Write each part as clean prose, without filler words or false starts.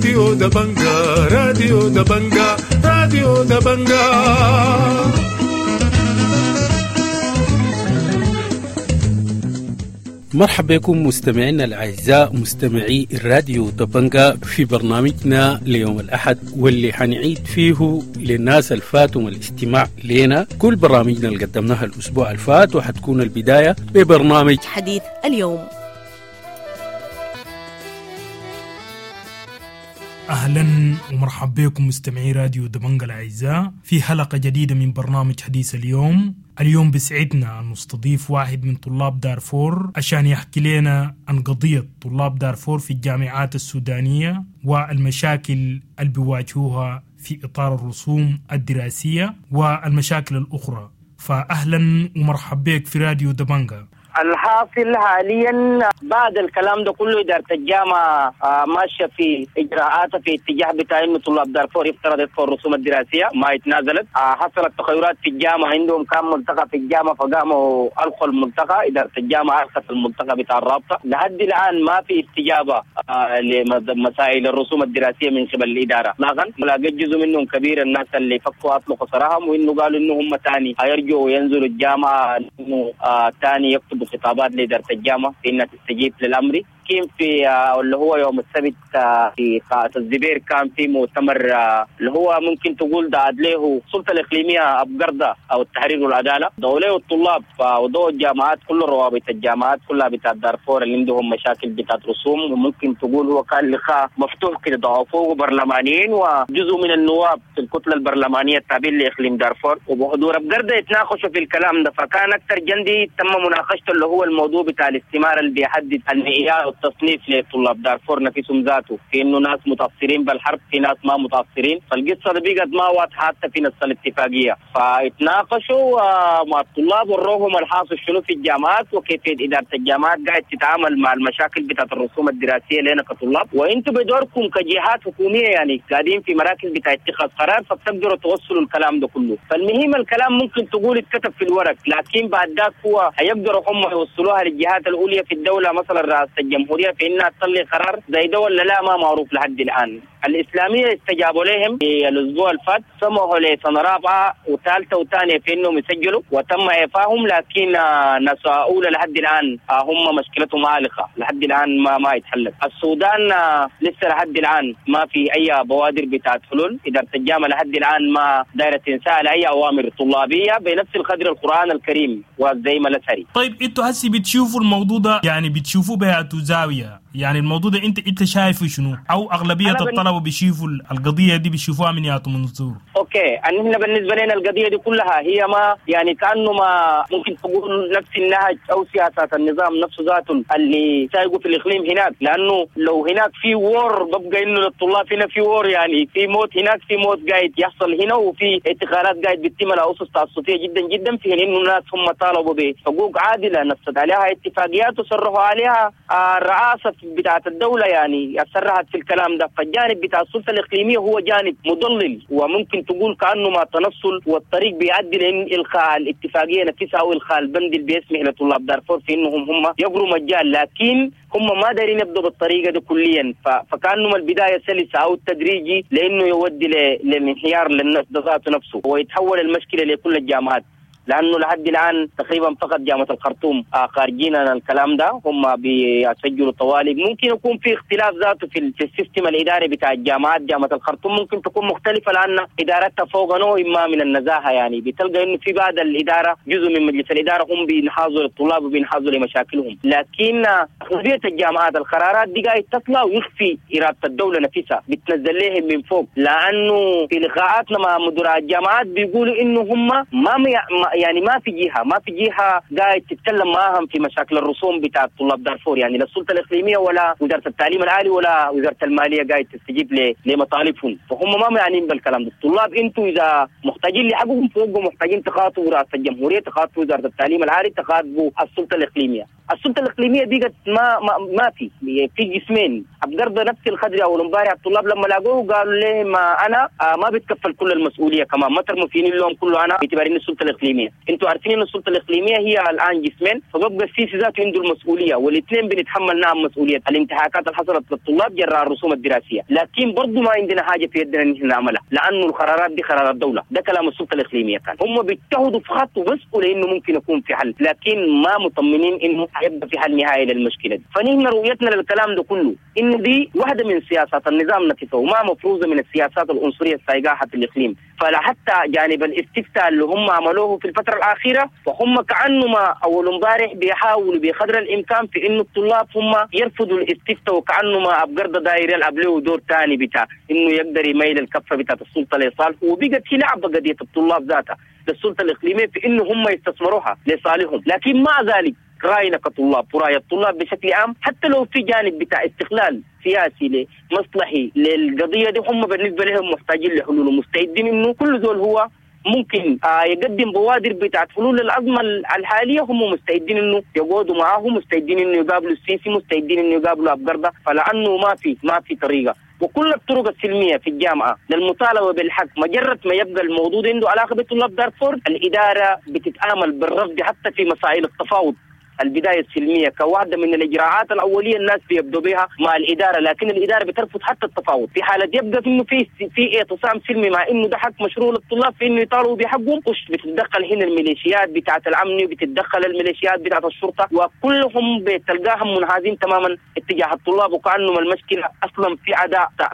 راديو دبنجا، راديو دبنجا، راديو دبنجا. مرحبا بكم مستمعينا الأعزاء مستمعي الراديو دبنجا في برنامجنا ليوم الأحد، واللي حنعيد فيه للناس الفاتهم الاستماع لنا كل برامجنا اللي قدمناها الأسبوع الفات، وحتكون البداية ببرنامج حديث اليوم. أهلا ومرحبا بكم مستمعي راديو دبنجا الأعزاء في حلقة جديدة من برنامج حديث اليوم. اليوم بسعدنا أن نستضيف واحد من طلاب دارفور عشان يحكي لنا عن قضية طلاب دارفور في الجامعات السودانية والمشاكل اللي بيواجهوها في إطار الرسوم الدراسية والمشاكل الأخرى. فأهلا ومرحبا بك في راديو دبنجا. الحاصل حاليا بعد الكلام ده كله إدارة الجامعة ماشية في إجراءاتها في اتجاه بتاع إنه طلاب دارفور يفترض يدفعوا الرسوم الدراسية، ما اتنازلت. حصلت تغيرات في الجامعة، عندهم كان ملتقى في الجامعة فقاموا ألقوا الملتقى، إدارة الجامعة ألقت الملتقى بتاع الرابطة. لحد الآن ما في استجابة لمسائل الرسوم الدراسية من قبل الإدارة إطلاقا. لقيت جزء منهم كبير الناس اللي فكوا أطلقوا سراحهم، وإنه قالوا إنه هم تاني هيرجعوا وينزلوا الجامعة إنه تاني يكتبوا خطابات لإدارة الجامعة في إنها تستجيب للأمر. كان في اللي هو يوم السبت في قاعة الزبير كان في مؤتمر اللي هو ممكن تقول دعت له السلطة الإقليمية أبقردة أو التحرير والعدالة، دعوا له الطلاب ودعوا الجامعات كل روابط الجامعات كلها بتاعت دارفور اللي عندهم مشاكل بتاعت رسوم، وممكن تقول هو كان لقاء مفتوح كده، دعوا فوق برلمانيين وجزء من النواب في الكتلة البرلمانية التابعين لإقليم دارفور وبحضور أبقردة يتناقشوا في الكلام ده. فكان أكثر جندي تم مناقشته اللي هو الموضوع بتاع الاستمارة اللي بيحدد المعيار التصنيف لطلاب دارفور نفسهم ذاته، في انه ناس متاثرين بالحرب، في ناس ما متاثرين. فالقصة دي بقت ما واضحة حتى في نص الاتفاقية. فاتناقشوا مع الطلاب وروهم الحاصل شنو في الجامعات وكيفية ادارة الجامعات قاعد تتعامل مع المشاكل بتاعت الرسوم الدراسية لنا كطلاب، وانتم بدوركم كجهات حكومية يعني قاعدين في مراكز بتاع اتخاذ قرار فبتقدروا توصلوا الكلام ده كله. فالمهم الكلام ممكن تقول اتكتب في الورق، لكن بعد ذاك هو هيقدروا هم يوصلوها للجهات الاولية في الدولة مثلا رئاسة الجمهورية في انها تطلع قرار زي ده ولا لا، ما معروف لحد الان. الاسلامية استجابوا لهم في الاسبوع الفات، سمحوا لسنه رابعه وثالثه وثانيه في انهم يسجلوا وتم اعفائهم، لكن ناس اولى لحد الان هم مشكلتهم عالقة لحد الان ما يتحلت. السودان لسه لحد الان ما في اي بوادر بتاعت حلول، ادارة الجامعة لحد الان ما دايرة تنسال اي اوامر طلابيه بنفس القدر القران الكريم وزي ما الازهري. طيب انتوا هسي بتشوفوا الموضوع ده يعني بتشوفوه بهاتو زاوية، يعني الموضوع ده انت شايفه شنو؟ او اغلبية الطلبة بيشوفوا القضية دي بيشوفوها من ياتو منظور؟ okay، ان احنا بالنسبة لنا القضية دي كلها هي ما يعني كانه ما ممكن تقول نفس النهج او سياسات النظام نفسه ذاته اللي سايقه في الاقليم هناك، لانه لو هناك في war ببقى انه للطلاب هنا في war، يعني في موت هناك، في موت قاعد يحصل هنا، وفي اعتقالات قاعد بتتم على اسس تعسفيه جدا جدا، في انه الناس هم طالبوا بحقوق عادلة نصت عليها اتفاقيات وصرحوا عليها الرئاسة بتاعت الدولة يعني صرحت في الكلام ده. فالجانب بتاع السلطة الإقليمية هو جانب مضلل، وممكن تقول كأنه ما تنصل والطريق بيؤدي لإلغاء الاتفاقية نفسها أو إلغاء البند اللي بيسمح لطلاب دارفور في إنهم هم يقروا مجال، لكن هم ما دارين يبدوا بالطريقة دي كليا. فكأنه البداية سلسة أو تدريجي لأنه يودي للانهيار للنفس ذاته نفسه ويتحول المشكلة لكل الجامعات، لأنه لحد الآن تقريبا فقط جامعة الخرطوم خارجين عن الكلام ده، هم بيسجلوا طوالب. ممكن يكون في اختلاف ذاته في ال system الإداري بتاع الجامعات، جامعة الخرطوم ممكن تكون مختلفة لأن إدارتها فوق نوع ما من النزاهة، يعني بتلقى إنه في بعض الإدارة جزء من مجلس الإدارة هم بينحازوا للطلاب وبينحازوا لمشاكلهم، لكن أغلبية الجامعات القرارات دي قاعد تطلع ويخفي إرادة الدولة نفسها، بتنزل لهم من فوق. لأنه في لقاءاتنا مع مدراء الجامعات بيقولوا إنه هم ما يعني ما في جهة قاعد تتكلم معاهم في مشاكل الرسوم بتاع طلاب دارفور، يعني لا السلطة الإقليمية ولا وزارة التعليم العالي ولا وزارة المالية قاعد تستجيب لمطالبهم، فهم ما معنيين بالكلام ده. الطلاب انتوا إذا محتاجين لحقهم فوق، محتاجين تخاطبوا رئاسة الجمهورية، تخاطبوا وزارة التعليم العالي، تخاطبوا السلطة الإقليمية. السلطة الاقليمية بقت ما في جسمين. ابقرضه نفس الخدري اول امبارح الطلاب لما لاقوه قالوا ليه ما انا ما بتكفل كل المسؤولية، كمان ما ترموا فيني اللوم كله انا باعتبار ان السلطة الاقليمية. انتوا عارفين ان السلطة الاقليمية هي الان جسمين، فببقى السيسي ذاته عنده المسؤولية، والاثنين بنتحمل نعم مسؤولية الانتهاكات اللي حصلت للطلاب جراء الرسوم الدراسية، لكن برضه ما عندنا حاجة في يدنا ان احنا نعملها لانه القرارات دي قرارات دولة. ده كلام السلطة الاقليمية كان. هم بيجتهدوا في خط وبسوا لانه ممكن يكون في حل، لكن ما مطمنين انه حيبقى في حل نهائي للمشكلة دي. فنحن رؤيتنا للكلام ده كله انه دي واحدة من سياسات النظام نفسه وما مفروضة من السياسات العنصرية السايقاحه في الاقليم. فلا حتى جانب الاستفتاء اللي هم عملوه في الفترة الاخيرة، فهم كانه ما اول امبارح بيحاولوا بقدر الامكان في انه الطلاب هم يرفضوا الاستفتاء، وكانه ما ابقرضه داير يلعب له دور ثاني بتاع انه يقدر يميل الكفة بتاعت السلطة لصالحه، وبقت هي لعبه قضية الطلاب ذاتها للسلطة الاقليمية في انه هم يستثمروها لصالحهم. لكن مع ذلك راينا كطلاب وراي الطلاب بشكل عام، حتى لو في جانب بتاع استغلال سياسي لمصلحي للقضية دي، هم بالنسبة لهم محتاجين لحلول ومستعدين انه كل زول هو ممكن يقدم بوادر بتاعت حلول للازمة الحالية. هم مستعدين انه يقعدوا معاه، مستعدين انه يقابلوا السيسي، مستعدين انه يقابلوا ابقرضه، فلانه ما في طريقه. وكل الطرق السلمية في الجامعة للمطالبة بالحق، مجرد ما يبقى الموضوع عنده علاقة بطلاب دارفور، الادارة بتتعامل بالرفض حتى في مسائل التفاوض. البداية السلمية كواحدة من الإجراءات الأولية الناس بيبدوا بها مع الإدارة، لكن الإدارة بترفض حتى التفاوض في حالة يبقى إنه في اعتصام سلمي، مع إنه ده حق مشروع للطلاب في إنه يطالبوا بحقهم. بتتدخل هنا الميليشيات بتاعة الأمن، بتتدخل الميليشيات بتاعة الشرطة، وكلهم بتلقاهم منحازين تماما اتجاه الطلاب، وكأنهم المشكلة أصلا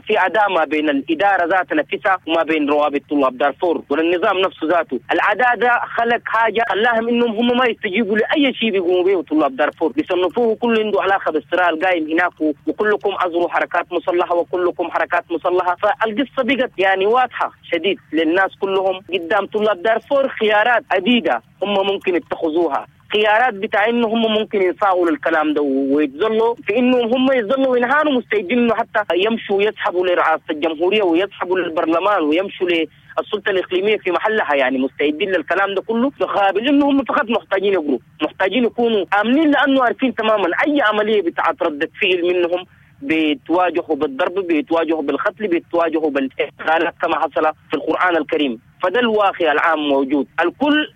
في عداء ما بين الإدارة ذات نفسها وما بين روابط طلاب دارفور والنظام نفسه ذاته. العداء ده خلق حاجة خلاهم إنهم هم ما يستجيبوا لأي شيء بيقوموا به طلاب دارفور، بيصنفوه كله عنده علاقة بالصراع القائم هناك، وكلكم ازروا حركات مسلحة وكلكم حركات مسلحة. فالقصة بقت يعني واضحة شديد للناس كلهم. قدام طلاب دارفور خيارات عديدة هم ممكن يتخذوها، خيارات بتاع انه هم ممكن ينصاعوا للكلام ده ويتظلوا في انه هم يتظلوا وينهانوا، مستعدين انه حتى يمشوا يسحبوا لرئاسة الجمهورية ويسحبوا للبرلمان ويمشوا للسلطة الاقليمية في محلها، يعني مستعدين للكلام ده كله، بقابل انه هم فقط محتاجين يقروا، محتاجين يكونوا امنين، لانه عارفين تماما اي عملية بتاعت ردة فعل منهم بيتواجهوا بالضرب، بيتواجهوا بالقتل، بيتواجهوا بالاغتيالات كما حصل في القرآن الكريم. فده الواقع العام موجود، الكل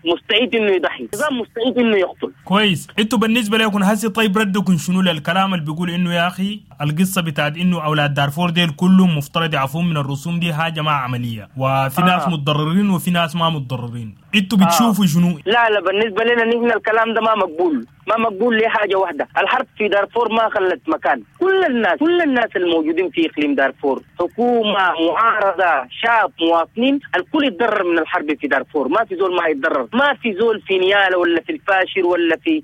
مستعد انه يضحي، النظام مستعد انه يقتل. كويس، انتوا بالنسبة لكم هسي طيب ردكم شنو للكلام اللي بيقول انه يا اخي القصة بتاعت انه اولاد دارفور ديل كلهم مفترض يعفون من الرسوم دي حاجة ما عملية، وفي ناس متضررين وفي ناس ما متضررين، انتوا بتشوفوا شنو؟ لا بالنسبة لنا نحن الكلام ده ما مقبول، ما مقبول لحاجة واحدة. الحرب في دارفور ما خلت مكان، كل الناس الموجودين في اقليم دارفور، حكومة، معارضة، شعب، مواطنين، الكل يتضرر من الحرب في دارفور. ما في زول ما يتضرر، ما في زول في نياله ولا في الفاشر ولا في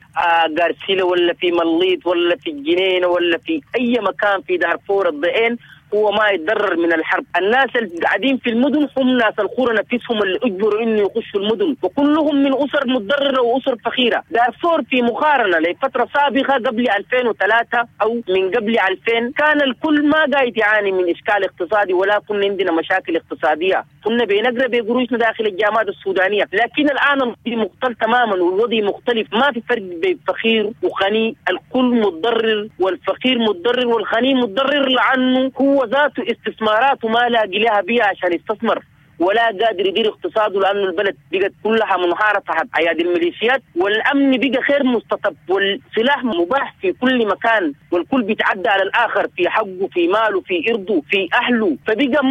غارسيلا ولا في مليط ولا في الجنينة ولا في اي مكان في دارفور الضئين هو ما يتضرر من الحرب. الناس اللي قاعدين في المدن هم ناس القرى نفسهم اللي اجبروا انه يخشوا المدن، وكلهم من اسر متضرره واسر فقيرة. دارفور في مقارنة لفترة سابقه قبل 2003 او من قبل 2000 كان الكل ما قاعد يعاني من اشكال اقتصادي، ولا كنا عندنا مشاكل اقتصادية، كنا بنقرا بقروشنا داخل الجامعات السودانية. لكن الان الوضع مختلف تماما، والوضع مختلف، ما في فرق بين فقير وغني، الكل متضرر، والفقير متضرر والغني متضرر، لانه هو ذاته استثماراته ما لاقي لها بيها عشان يستثمر، ولا قادر يدير اقتصاده، لأنه البلد بقت كلها منهارة تحت أيادي الميليشيات، والأمن بقى غير مستتب، والسلاح مباح في كل مكان، والكل بيتعدى على الآخر في حقه، في ماله، في إرضه، في أهله. فبقى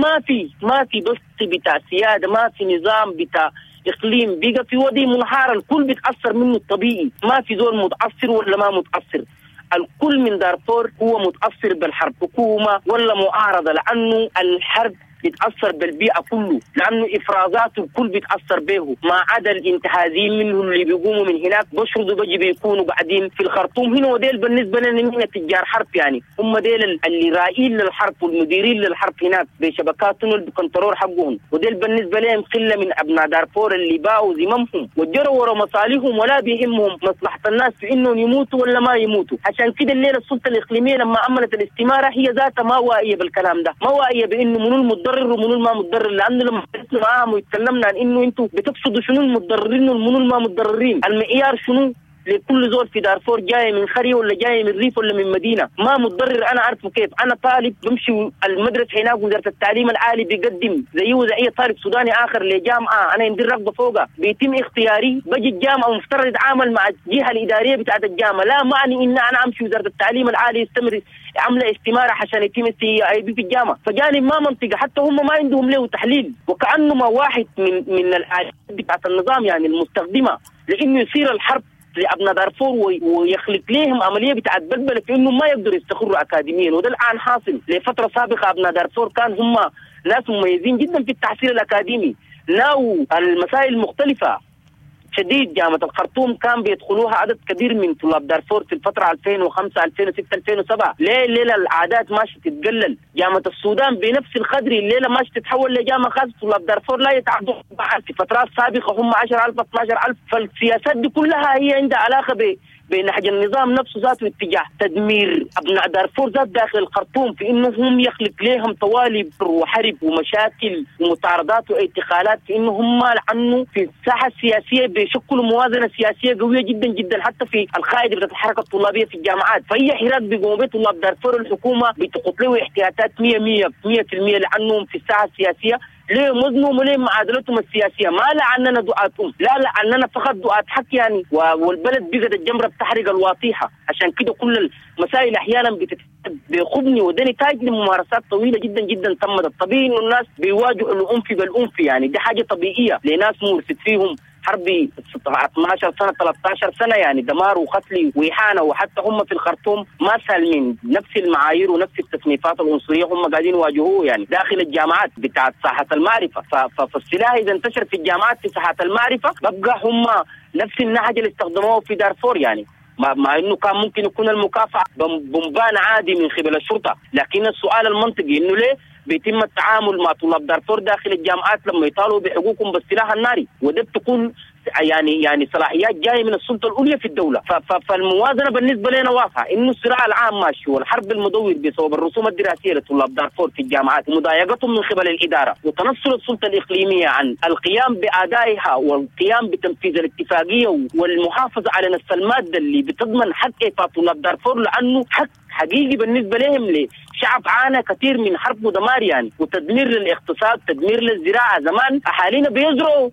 ما في بس بتاع سيادة، ما في نظام بتاع إقليم، بقى في وضع منهار، الكل بيتأثر منه الطبيعي، ما في زول متأثر ولا ما متأثر. الكل من دارفور هو متأثر بالحرب، حكومة ولا معارضة، لأنه الحرب بيتأثر بالبيئة كله، لأنه إفرازاته الكل بيتأثر به، ما عدا الانتهازيين منه اللي بيقوموا من هناك بشردوا بيجي بيكونوا قاعدين في الخرطوم هنا، وديل بالنسبة لنا هنا تجار حرب، يعني هم ديل اللي رائين للحرب والمديرين للحرب هناك بشبكاتهم بال control حقهم، وديل بالنسبة لهم قلة من أبناء دارفور اللي باعوا ذممهم وجروا ورا مصالحهم ولا بيهمهم مصلحة الناس في إنهم يموتوا ولا ما يموتوا. عشان كده الليلة السلطة الإقليمية لما عملت الاستمارة هي ذاتها ما واعية بالكلام ده، ما واعية بإنه منو المتضرر ومنو ما متضرر، لانه لما جلسنا معاهم وتكلمنا عن انه انتم بتقصدوا شنو المتضررين ومنو ما متضررين، المعيار شنو لكل زول في دارفور جاي من قرية ولا جاي من ريف ولا من مدينة، ما متضرر. انا عارفه كيف، انا طالب بمشي المدرسة هناك، وزارة التعليم العالي بيقدم زيه زي اي طالب سوداني اخر لجامعة انا عندي الرغبة فوقها، بيتم اختياري، بجي الجامعة ومفترض اتعامل مع الجهة الادارية بتاعت الجامعة، لا معني ان انا امشي وزارة التعليم العالي يستمر عامله استماره عشان يتم استيعابي في الجامعة. فجانب ما منطقة، حتى هم ما عندهم له تحليل، وكانه ما واحد من الآلات بتاعت النظام يعني المستخدمة لانه يصير الحرب لابناء دارفور ويخلق لهم عملية بتاعت بلبلة في انه ما يقدروا يستقروا اكاديميا. وده الان حاصل. لفترة سابقه ابناء دارفور كان هم ناس مميزين جدا في التحصيل الاكاديمي، ناو المسائل المختلفة شديد. جامعة الخرطوم كان بيدخلوها عدد كبير من طلاب دارفور في الفترة 2005 2006 2007. ليه الليلة العادات ماشية تتقلل؟ جامعة السودان بنفس القدر الليلة ماشية تتحول لجامعة خاصة، طلاب دارفور لا يتعدوا في فترات سابقة هم 10,000 12,000. فالسياسات دي كلها هي عندها علاقة بنهج النظام نفسه ذاته، اتجاه تدمير ابناء دارفور ذات داخل الخرطوم، في انه هم يخلق لهم طوالب وحرب ومشاكل ومطاردات واعتقالات، في انه هم لانه في الساحة السياسية بيشكلوا موازنه سياسية قوية جدا جدا، حتى في القاعدة بتاعت الحركة الطلابيه في الجامعات. فهي حراك بيقوموا به طلاب دارفور، الحكومة بتقط له احتياطات 100% لانهم في الساحة السياسية ليه وزنهم وليه معادلتهم السياسية. ما لعننا دعاتهم، لا لعننا فقط دعاة حق يعني، والبلد بقت الجمرة بتحرق الواطيحه. عشان كده كل المسائل احيانا بخبني، وده نتاج لممارسات طويلة جدا جدا تمت. الطبيعي انه الناس بيواجهوا العنف بالعنف يعني، دي حاجة طبيعية لناس مورست فيهم حرب 12 سنة 13 سنة يعني، دمار وقتل واهانه. وحتى هم في الخرطوم ما سالمين، نفس المعايير ونفس التصنيفات العنصرية هم قاعدين يواجهوه يعني داخل الجامعات بتاعت ساحة المعرفة. فالسلاح اذا انتشر في الجامعات في ساحة المعرفة ببقى هم نفس النهج اللي استخدموه في دارفور يعني، مع انه كان ممكن يكون المكافاة بومبان عادي من قبل الشرطة. لكن السؤال المنطقي انه ليه بيتم التعامل مع طلاب دارفور داخل الجامعات لما يطالبوا بحقوقهم بالسلاح الناري؟ وده بتكون يعني صلاحيات جاية من السلطة العليا في الدولة. فالموازنه بالنسبة لنا واضحة، انه الصراع العام ماشي والحرب المدور بسبب الرسوم الدراسية لطلاب دارفور في الجامعات ومضايقتهم من قبل الادارة وتنصل السلطة الاقليمية عن القيام بادائها والقيام بتنفيذ الاتفاقية والمحافظة على نفس المادة اللي بتضمن حق ايفاء طلاب دارفور، لانه حق حقيقي بالنسبة لهم، لشعب عانى كثير من حرب ودمار يعني، وتدمير للاقتصاد، تدمير للزراعة. زمان اهالينا بيزرعوا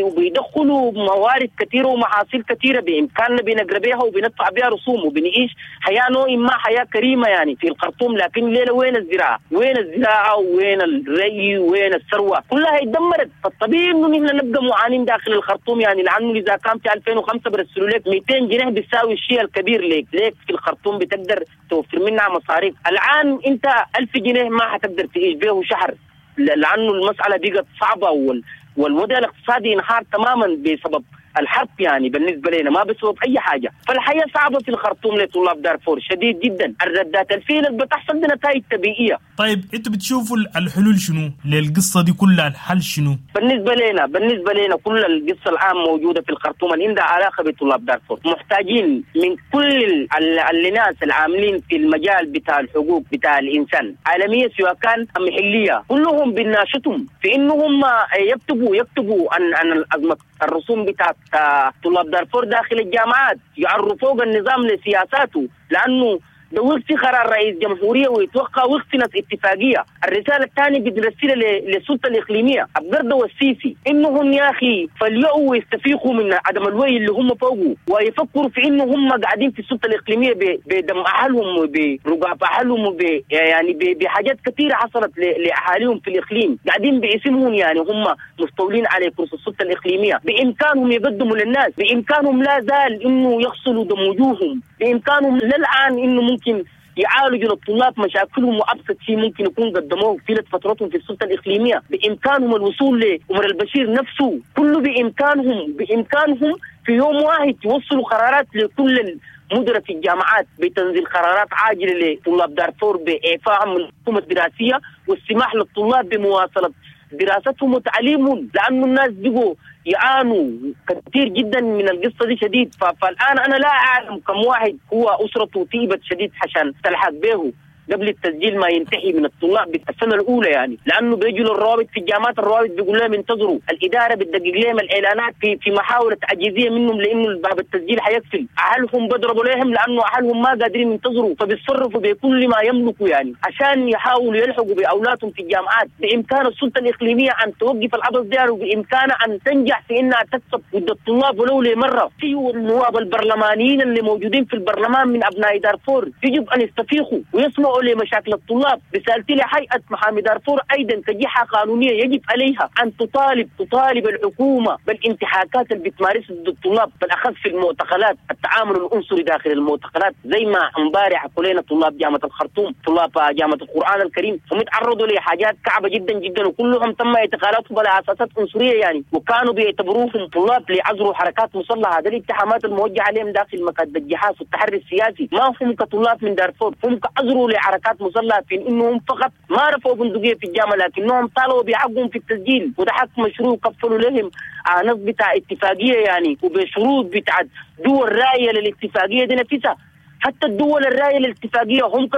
وبيدخلوا موارد كثيرة ومحاصيل كثيرة بامكاننا بنقرا بها وبندفع بها رسوم وبنعيش حياة نوع ما حياة كريمة يعني في الخرطوم. لكن ليلة وين الزراعة؟ وين الزراعة وين الري وين الثروة؟ كلها اتدمرت. فالطبيعي انه نحن نبقى معانين داخل الخرطوم يعني، لانه اذا كان في 2005 برسلوا لك 200 جنيه بتساوي الشيء الكبير ليك في الخرطوم بتقدر توفر منها مصاريف. الآن أنت 1000 جنيه ما حتقدر تعيش به شهر، لأنه المسألة بقت صعبة والوضع الاقتصادي انهار تماما بسبب الحرب يعني بالنسبة لنا، ما بسبب أي حاجة. فالحياة صعبة في الخرطوم لطلاب دارفور شديد جدا. الردات الفعل اللي بتحصل دي نتائج طبيعية. طيب انتوا بتشوفوا الحلول شنو للقصة دي كلها؟ الحل شنو بالنسبة لنا؟ كل القصة الآن موجودة في الخرطوم اللي عندها علاقة بطلاب دارفور، محتاجين من كل الناس العاملين في المجال بتاع الحقوق بتاع الإنسان عالمية سواء كان محلية، كلهم بناشطهم في إنهم يكتبوا عن أزمة الرسوم بتاعت طلاب دارفور داخل الجامعات، يعرفوا النظام لسياساته، لأنه ده وقت قرار رئيس جمهورية ويتوقع وقت ناس اتفاقية. الرسالة الثانية بنرسلها للسلطة الإقليمية أبقردة والسيسي، إنهم يا أخي فليؤوا ويستفيقوا من عدم الوعي اللي هم فوقه، ويفكروا في إنه هم قاعدين في السلطة الإقليمية بدم أهلهم وبرقاب أهلهم يعني بحاجات كثيرة حصلت لأهاليهم في الإقليم، قاعدين باسمهم يعني هم مستولين على كرسي السلطة الإقليمية. بإمكانهم يقدموا للناس، بإمكانهم لا زال إنه يغسلوا دم وجوههم، بإمكانهم للآن إنه ممكن يعالجوا للطلاب مشاكلهم وابسط شيء ممكن يكون قدموه في فترتهم في السلطة الاقليمية، بامكانهم الوصول لعمر البشير نفسه، كله بامكانهم في يوم واحد يوصلوا قرارات لكل المدراء في الجامعات بتنزيل قرارات عاجله لطلاب دارفور باعفائهم من الحكومة الدراسية والسماح للطلاب بمواصله دراستهم وتعليمهم، لانه الناس بقوا يعانوا كثير جدا من القصة دي شديد. فالان انا لا اعلم كم واحد هو اسرته طيبت شديد عشان تلحق به. قبل التسجيل ما ينتهي من الطلاب السنة الاولى يعني، لانه بيجوا للروابط في الجامعات، الروابط بيقول لهم انتظروا، الادارة بتدقق لهم الاعلانات في محاولة تعجيزية منهم لانه باب التسجيل حيقفل، اهلهم بيضربوا لهم لانه اهلهم ما قادرين ينتظروا، فبيتصرفوا بكل ما يملكوا يعني عشان يحاولوا يلحقوا باولادهم في الجامعات. بامكان السلطة الاقليمية ان توقف العبث ده، وبامكانها ان تنجح في انها تكسب ضد الطلاب ولو لمره. في النواب البرلمانيين اللي موجودين في البرلمان من ابناء دارفور يجب ان يستفيقوا ويسمعوا لمشاكل الطلاب. رسالتي لهيئة محامي دارفور ايضا كجهه قانونية يجب عليها ان تطالب الحكومة بالانتهاكات اللي بتمارسها ضد الطلاب، بالاخص في المعتقلات، التعامل العنصري داخل المعتقلات زي ما امبارح حكوا طلاب جامعه الخرطوم، طلاب جامعه القران الكريم، هم تعرضوا لحاجات كعبه جدا جدا، وكلهم تم اعتقالاتهم على اساسات عنصرية يعني، وكانوا بيعتبروهم طلاب لعزروا حركات مسلحة. هذه الاتهامات الموجهة عليهم داخل مكاتب الجهاز والتحري السياسي ما هم كطلاب من دارفور، هم كعزروا لحركات مسلحة في انهم فقط ما رفعوا بندقية في الجامعة، لكنهم طالبوا بحقهم في التسجيل، وده حق مشروع كفلوا لهم نص بتاع اتفاقية يعني، وبشروط بتاع دول رايه للاتفاقيه دي نفسها. حتى الدول الراية للاتفاقية هم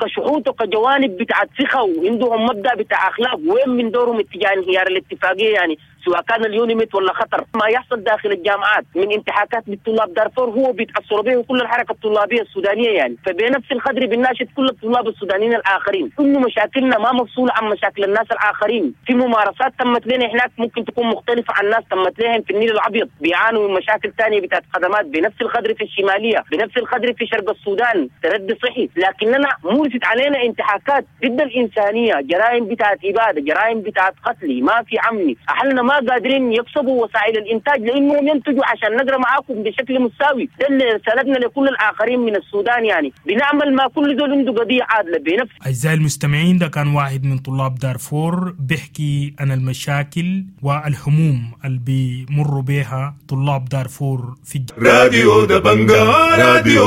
كشهود وكجوانب بتاعت ثقة وعندهم مبدأ بتاع أخلاق، وين من دورهم اتجاه انهيار الاتفاقية يعني، سواء كان اليونيميت ولا خطر. ما يحصل داخل الجامعات من انتهاكات للطلاب دارفور هو بيتأثروا به كل الحركة الطلابية السودانية يعني. فبنفس القدر بنناشد كل الطلاب السودانيين الآخرين إنه مشاكلنا ما مفصولة عن مشاكل الناس الآخرين. في ممارسات تمت لنا هناك ممكن تكون مختلفة عن الناس تمت لهم في النيل الأبيض، بيعانوا من مشاكل ثانية بتاعت خدمات بنفس القدر في الشمالية، بنفس القدر في شرق السودان، تردي صحي، لكننا مورست علينا انتهاكات ضد الإنسانية، جرائم بتاعت إبادة، جرائم بتاعت قتل، ما في عمي. أهلنا ما قادرين يكسبوا وسائل الإنتاج لأنهم ينتجوا عشان نقرأ معاكم بشكل مساوي. ده اللي رسالتنا لكل الآخرين من السودان يعني، بنعمل ما كل زول عنده قضية عادلة بنفس. أعزائي المستمعين، ده كان واحد من طلاب دارفور بيحكي عن المشاكل والهموم اللي بيمروا بها طلاب دارفور في راديو دبنجا. راديو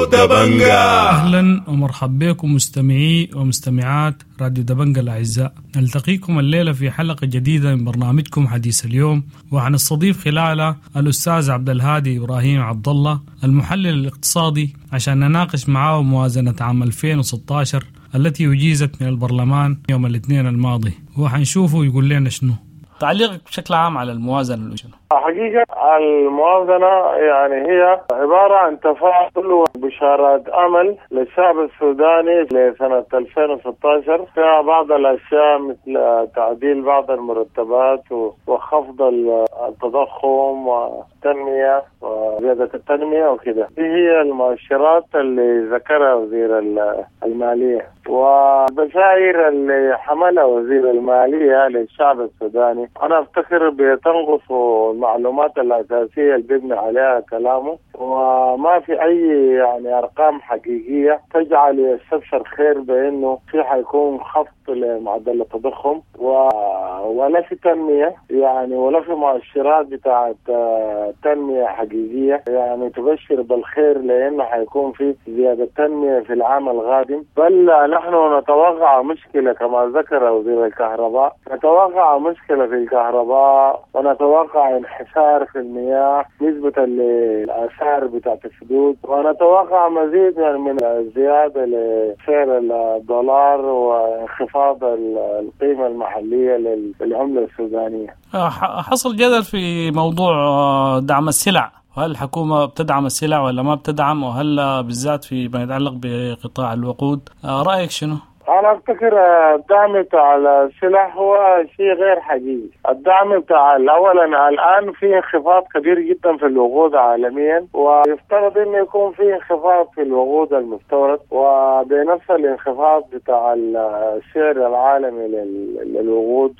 دبنجا. أهلا ومرحبا بكم مستمعي ومستمعات راديو دبنجا الأعزاء. نلتقيكم الليلة في حلقة جديدة من برنامجكم حديث اليوم، وحنستضيف خلالها الأستاذ عبد الهادي إبراهيم عبد الله المحلل الاقتصادي عشان نناقش معه موازنة عام 2016 التي أجيزت من البرلمان يوم الاثنين الماضي، وحنشوفه يقول لنا شنو تعليقك بشكل عام على الموازنة. حقيقة الموازنة يعني هي عبارة عن تفاؤل وبشارات أمل للشعب السوداني لسنة 2016، فيها بعض الأشياء مثل تعديل بعض المرتبات وخفض التضخم والتنمية وزيادة التنمية وكده. دي هي المؤشرات اللي ذكرها وزير المالية والبشائر اللي حملها وزير المالية للشعب السوداني. أنا أفتكر بتنقص المعلومات الأساسية اللي بيبني عليها كلامه، وما في أي يعني أرقام حقيقية تجعل يستبشر خير بأنه في حيكون خفض لمعدل التضخم ولا في تنمية يعني، ولا في مؤشرات بتاعت تنمية حقيقية يعني تبشر بالخير لأنه حيكون في زيادة تنمية في العام القادم. بل نحن نتوقع مشكلة كما ذكر وزير الكهرباء، نتوقع مشكلة في الكهرباء ونتوقع انحسار في المياه نسبة للآثار بتاعت السدود، ونتوقع مزيد من الزيادة لسعر الدولار وانخفاض القيمة المحلية للعملة السودانية. حصل جدل في موضوع دعم السلع، وهل الحكومة بتدعم السلع ولا ما بتدعم، وهل بالذات في ما يتعلق بقطاع الوقود، رأيك شنو؟ أنا أفتكر الدعم بتاع السلع هو شيء غير حقيقي. الدعم بتاع أولا الآن في انخفاض كبير جدا في الوقود عالميا، ويفترض إنه يكون في انخفاض في الوقود المستورد، وبنفس الانخفاض بتاع السعر العالمي للوقود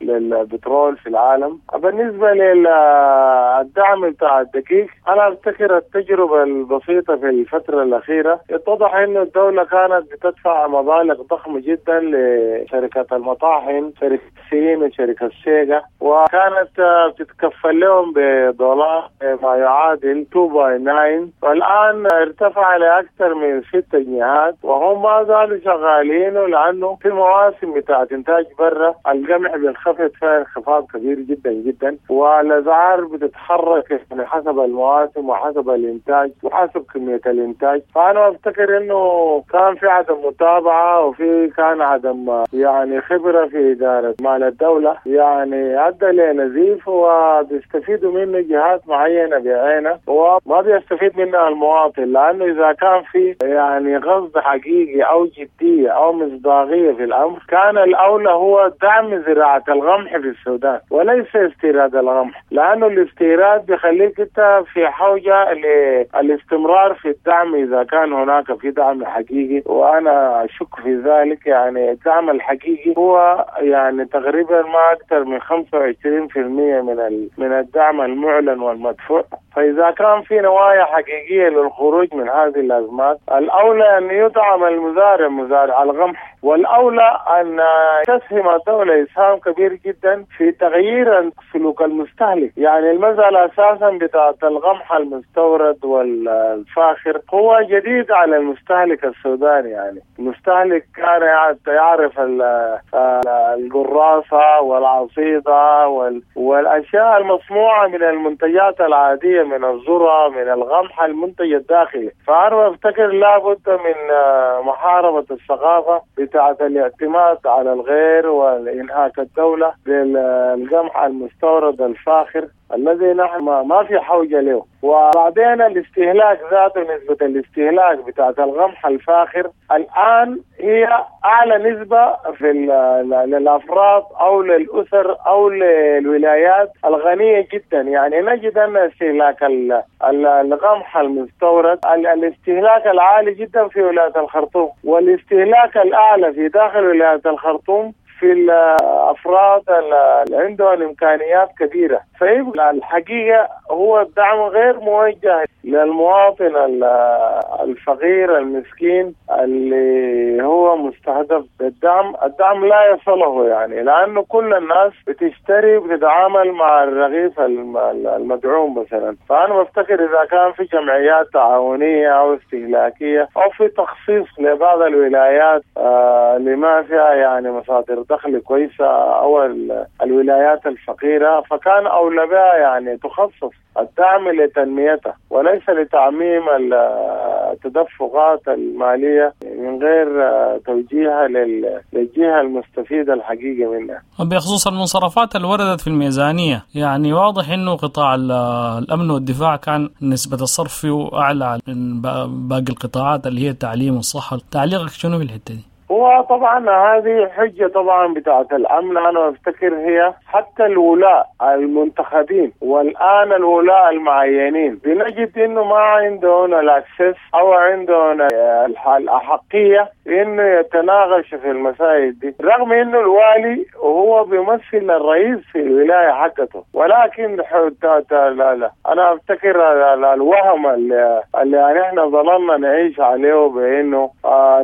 للبترول في العالم. بالنسبة للدعم بتاع الدقيق، أنا أفتكر التجربة البسيطة في الفترة الأخيرة اتضح إنه الدولة كانت بتدفع مبالغ ضخمة جدا لشركة المطاحن، شركة سين وشركة سيجا، وكانت بتتكفل لهم بدولار ما يعادل 2.9، والآن ارتفع لأكثر من 6 جنيهات، وهم ما زالوا شغالين لأنه في مواسم بتاعت إنتاج برا القمح بينخفض فيها انخفاض كبير جدا جدا، والأسعار بتتحرك يعني حسب المواسم وحسب الإنتاج وحسب كمية الإنتاج. فأنا أفتكر إنه كان في عدم متابعة وفي كان عدم يعني خبرة في إدارة مال الدولة، يعني أدى لنزيف وبيستفيدوا منه جهات معينة بعينها وما بيستفيد منها المواطن، لأنه إذا كان في يعني قصد حقيقي أو جدية أو مصداقية في الأمر كان الأولى هو دعم زراعة القمح في السودان وليس استيراد القمح، لأنه الاستيراد بيخليك أنت في حوجة للاستمرار في الدعم إذا كان هناك في دعم حقيقي، وأنا أشك في ذلك. يعني الدعم الحقيقي هو يعني تقريبا ما أكثر من 25% من الدعم المعلن والمدفوع. فإذا كان في نوايا حقيقية للخروج من هذه الأزمات، الأولى أن يدعم المزارع مزارع القمح، والأولى أن تسهم الدولة إسهام كبير جدا في تغيير سلوك المستهلك. يعني المسألة أساسا بتاعت القمح المستورد والفاخر هو جديد على المستهلك السوداني، يعني المستهلك كان يعرف القراصة والعصيدة والأشياء المصنوعة من المنتجات العادية من الذرة من القمح المنتج الداخلي. فأنا أفتكر لابد من محاربة الثقافة بتاعة الاعتماد على الغير والإنهاك الدولة بالقمح المستورد الفاخر الذي نحن ما في حوجة له. وبعدين الاستهلاك ذاته، نسبة الاستهلاك بتاعة القمح الفاخر الآن هي أعلى نسبة في للأفراد أو للأسر أو للولايات الغنية جدا. يعني نجد أن استهلاك القمح المستورد الاستهلاك العالي جدا في ولاية الخرطوم، والاستهلاك الأعلى في داخل ولاية الخرطوم في الأفراد اللي عندهم إمكانيات كبيرة. فيبقى الحقيقة هو الدعم غير موجه للمواطن الفقير المسكين اللي هو مستهدف بالدعم. الدعم لا يصله يعني، لأنه كل الناس بتشتري وبتتعامل مع الرغيف المدعوم مثلا. فأنا بفتكر إذا كان في جمعيات تعاونية أو استهلاكية أو في تخصيص لبعض الولايات لما فيها يعني مصادر دخل كويسة أو الولايات الفقيرة، فكان أولى بها يعني تخصص الدعم لتنميتها وليس لتعميم التدفقات المالية من غير توجيهها للجهة المستفيدة الحقيقية منها. بخصوص المنصرفات اللي وردت في الميزانية، يعني واضح أنه قطاع الأمن والدفاع كان نسبة الصرف فيه أعلى من باقي القطاعات اللي هي التعليم والصحة، تعليقك شنو في الحتة دي؟ هو طبعا هذه حجة طبعا بتاعة الأمن، أنا أفتكر هي حتى الولاء المنتخبين والآن الولاء المعينين بنجد إنه ما عندهم الأكسس أو عندهم الأحقية إنه يتناقش في المسائل دي، رغم إنه الوالي وهو بيمثل الرئيس في الولاية حقته. ولكن لا لا، أنا أفتكر الوهم اللي نحن ظللنا نعيش عليه بإنه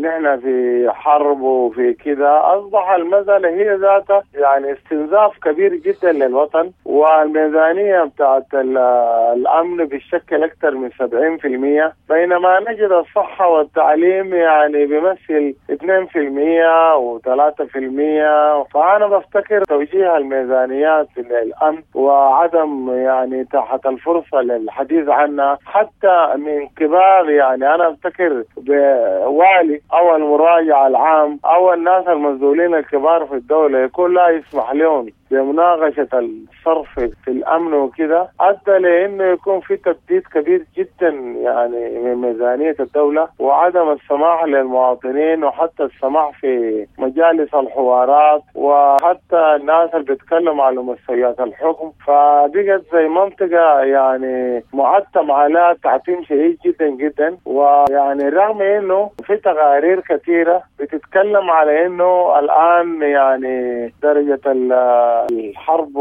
نحن في حرب وفي كذا، أصبح المسألة هي ذاتها يعني استنزاف كبير جدا للوطن. والميزانية بتاعت الأمن بتشكل أكثر من 70%، بينما نجد الصحة والتعليم يعني بيمثل 2% و3%. فأنا بفتكر توجيه الميزانيات للأمن وعدم يعني تحت الفرصة للحديث عنها حتى من كبار، يعني أنا أفتكر بوالي أو المراجع العام أو الناس المسؤولين الكبار في الدولة يكون لا يسمح لهم بمناقشة الصرف في الأمن وكذا، أدى لأنه يكون في تبديد كبير جدا يعني من ميزانية الدولة وعدم السماح للمواطنين وحتى السماح في مجالس الحوارات وحتى الناس اللي بيتكلموا على مستويات الحكم. فبقت زي منطقة يعني معتم على تعتيم شديد جدا جدا. ويعني رغم إنه في تقارير كثيرة بتتكلم على إنه الآن يعني درجة الحرب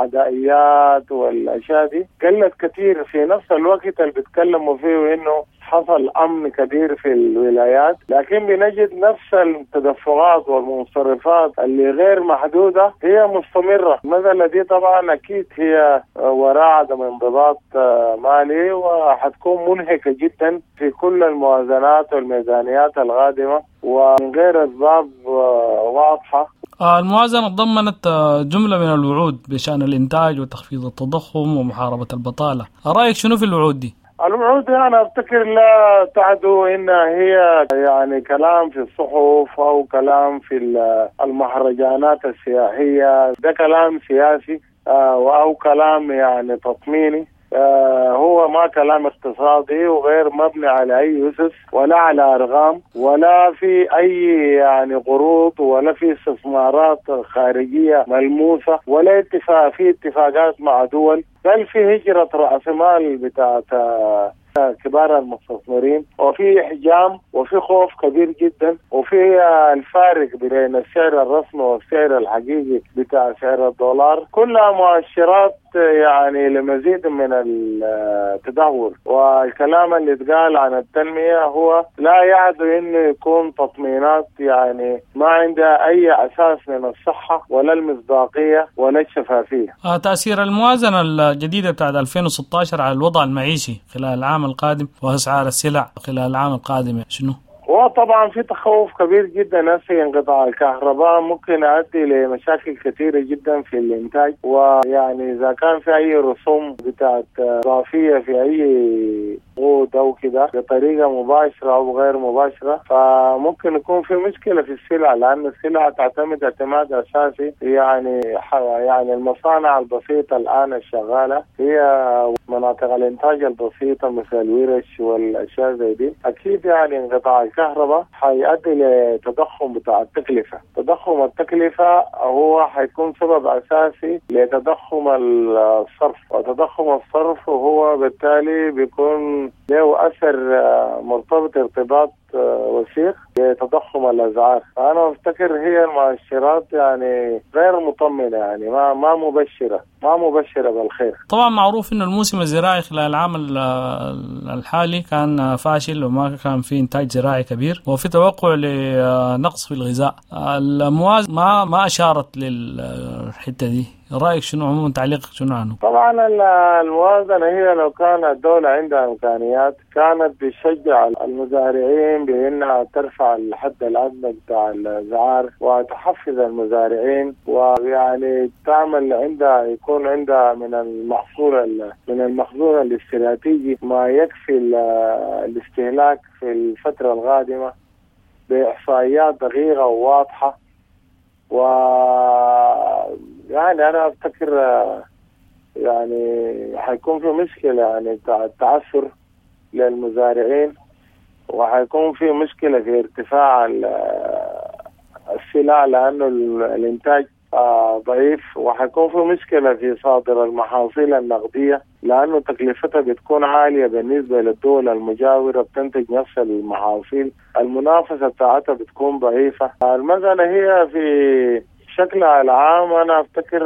والعدائيات والأشياء دي قلت كثير. في نفس الوقت اللي بيتكلموا فيه إنه حصل أمن كبير في الولايات، لكن بنجد نفس التدفقات والمنصرفات اللي غير محدودة هي مستمرة. المسألة دي طبعا أكيد هي وراء عدم انضباط مالي، وحتكون منهكة جدا في كل الموازنات والميزانيات القادمة ومن غير أسباب واضحة. الموازنة تضمنت جملة من الوعود بشأن الإنتاج وتخفيض التضخم ومحاربة البطالة، رأيك شنو في الوعود دي؟ الوعود أنا أفتكر لا تعدو إنها هي يعني كلام في الصحف أو كلام في المهرجانات السياحية، ده كلام سياسي أو كلام يعني تطميني، هو ما كلام اقتصادي وغير مبني على أي أسس ولا على أرقام ولا في أي يعني قروض ولا في استثمارات خارجية ملموسة ولا اتفاق في اتفاقات مع دول، بل في هجرة رأس مال بتاعت كبار المستثمرين، وفي إحجام وفي خوف كبير جدا، وفي الفارق بين السعر الرسمي والسعر الحقيقي بتاع سعر الدولار، كلها مؤشرات يعني لمزيد من التدهور. والكلام اللي اتقال عن التنمية هو لا يعدو انه يكون تطمينات يعني ما عندها اي اساس من الصحة ولا المصداقية ولا الشفافية. تأثير الموازنة الجديدة بتاعت 2016 على الوضع المعيشي خلال العام القادم وأسعار السلع خلال العام القادم شنو؟ وطبعا في تخوف كبير جدا هسه، انقطاع الكهرباء ممكن يؤدي لمشاكل كثيره جدا في الانتاج، ويعني اذا كان في اي رسوم بتاعت اضافيه في اي قود او كده بطريقه مباشره او غير مباشره، فممكن يكون في مشكله في السلع، لان السلع تعتمد اعتماد اساسي يعني المصانع البسيطه الان الشغاله هي مناطق الانتاج البسيطه مثل الورش والاشياء زي دي، اكيد يعني انقطاع الكهرباء حيؤدي لتضخم بتاع التكلفة. تضخم التكلفة هو حيكون سبب أساسي لتضخم الصرف، وتضخم الصرف هو بالتالي بيكون له أثر مرتبط ارتباط وثيق لتضخم الأسعار. فأنا أفتكر هي المؤشرات يعني غير مطمئنة، يعني ما مبشرة، ما مبشرة بالخير. طبعا معروف إنه الموسم الزراعي خلال العام الحالي كان فاشل وما كان في إنتاج زراعي كبير، وفي توقع لنقص في الغذاء. الموازنة ما أشارت للحتة دي، رأيك شنو عموما، تعليقك شنو عنه؟ طبعا الموازنة هي لو كان الدولة عندها إمكانيات كانت بتشجع المزارعين بأنها ترفع الحد الأدنى بتاع الأسعار وتحفز المزارعين، ويعني تعمل عندها يكون عندها من المحصول من المخزون الاستراتيجي ما يكفي الاستهلاك في الفترة القادمة بإحصائيات دقيقة وواضحة. و يعني أنا أفتكر يعني حيكون في مشكلة يعني بتاع التعثر للمزارعين، وحيكون في مشكلة في ارتفاع السلع لأنه الإنتاج ضعيف، وحيكون في مشكلة في صادر المحاصيل النقدية لأنه تكلفتها بتكون عالية بالنسبة للدول المجاورة بتنتج نفس المحاصيل، المنافسة بتاعتها بتكون ضعيفة. المسألة هي في شكلها العام أنا أفتكر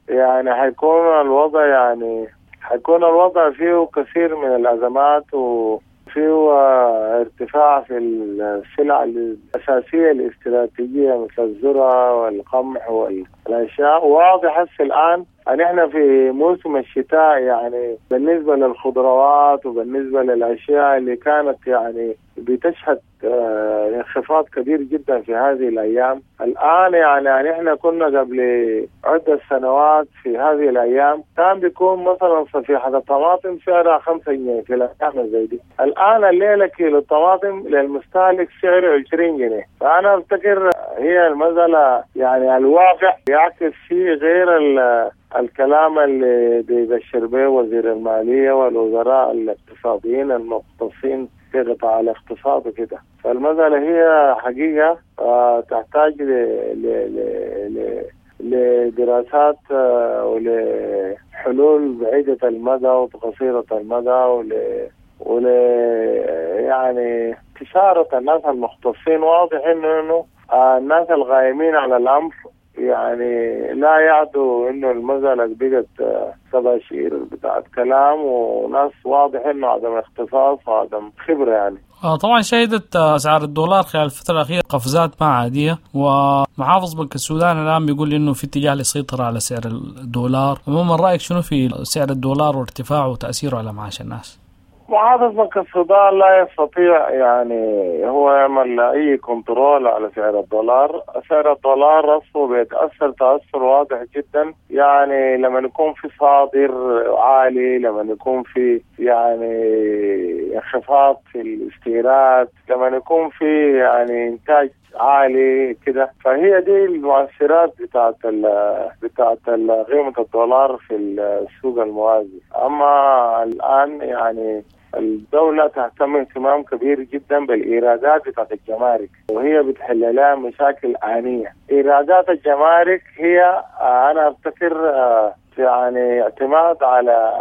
يعني حيكون الوضع يعني حيكون الوضع فيه كثير من الأزمات وفيه ارتفاع في السلع الأساسية الاستراتيجية مثل الذرة والقمح والأشياء. واضح هسه الآن أن إحنا في موسم الشتاء، يعني بالنسبة للخضروات وبالنسبة للأشياء اللي كانت يعني بتشهد انخفاض كبير جدا في هذه الأيام. الآن يعني إحنا كنا قبل عدة سنوات في هذه الأيام كان بيكون مثلا صفيحة الطماطم سعرها 5 جنيه في الأيام زي دي، الآن الليلة كيلو الطماطم للمستهلك سعره 20 جنيه. فأنا أفتكر هي المسألة يعني الواقع يعكس فيه غير الكلام اللي بيبشر به وزير المالية والوزراء الاقتصاديين المختصين في قطاع الاقتصاد وكده. فالمسألة هي حقيقة تحتاج لدراسات ولحلول بعيدة المدى وقصيرة المدى ول يعني استشارة الناس المختصين. واضح إنه الناس الغايمين على الأمر يعني لا يعدو انه المسألة بقت تباشير بتاعت كلام وناس واضح انه عدم اختصاص وعدم خبرة يعني. طبعا شهدت اسعار الدولار خلال الفترة الاخيرة قفزات ما عادية، ومحافظ بنك السودان الان بيقول انه في اتجاه للسيطرة على سعر الدولار. عموما رايك شنو في سعر الدولار وارتفاعه وتاثيره على معاش الناس؟ محافظ بنك السودان لا يستطيع يعني هو يعمل اي control على سعر الدولار. سعر الدولار اصله بيتاثر تاثر واضح جدا، يعني لما يكون في صادر عالي، لما يكون في يعني انخفاض في الاستيراد، لما يكون في يعني انتاج عالي كده. فهي دي المؤثرات بتاعت قيمة الدولار في السوق الموازي. اما الان يعني الدولة تهتم اهتمام كبير جدا بالإيرادات بتاعت الجمارك، وهي بتحل لها مشاكل آنية. إيرادات الجمارك هي أنا أفتكر يعني اعتماد على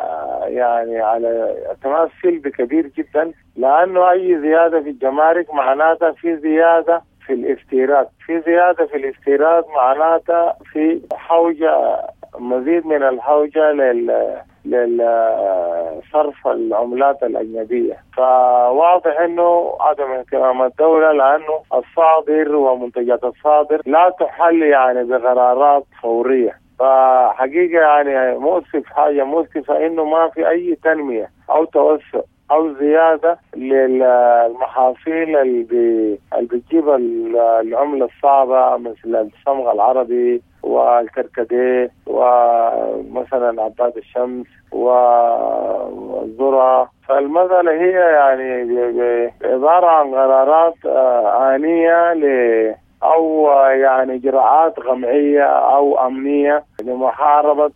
يعني على اعتماد سلبي كبير جدا، لأنه أي زيادة في الجمارك معناتها في زيادة في الاستيراد، في زيادة في الاستيراد معناتها في حوجة، مزيد من الحوجة للصرف العملات الأجنبية. فواضح أنه عدم اهتمام الدولة، لأنه الصادر ومنتجات الصادر لا تحل يعني بقرارات فورية. فحقيقة يعني مؤسف، حاجة مؤسفة أنه ما في أي تنمية أو توسع أو زيادة للمحاصيل اللي بتجيب العملة الصعبة مثل الصمغ العربي والكركديه ومثلا عباد الشمس والذرة. فالمسألة هي يعني عبارة عن قرارات آنية أو يعني إجراءات قمعية أو أمنية لمحاربة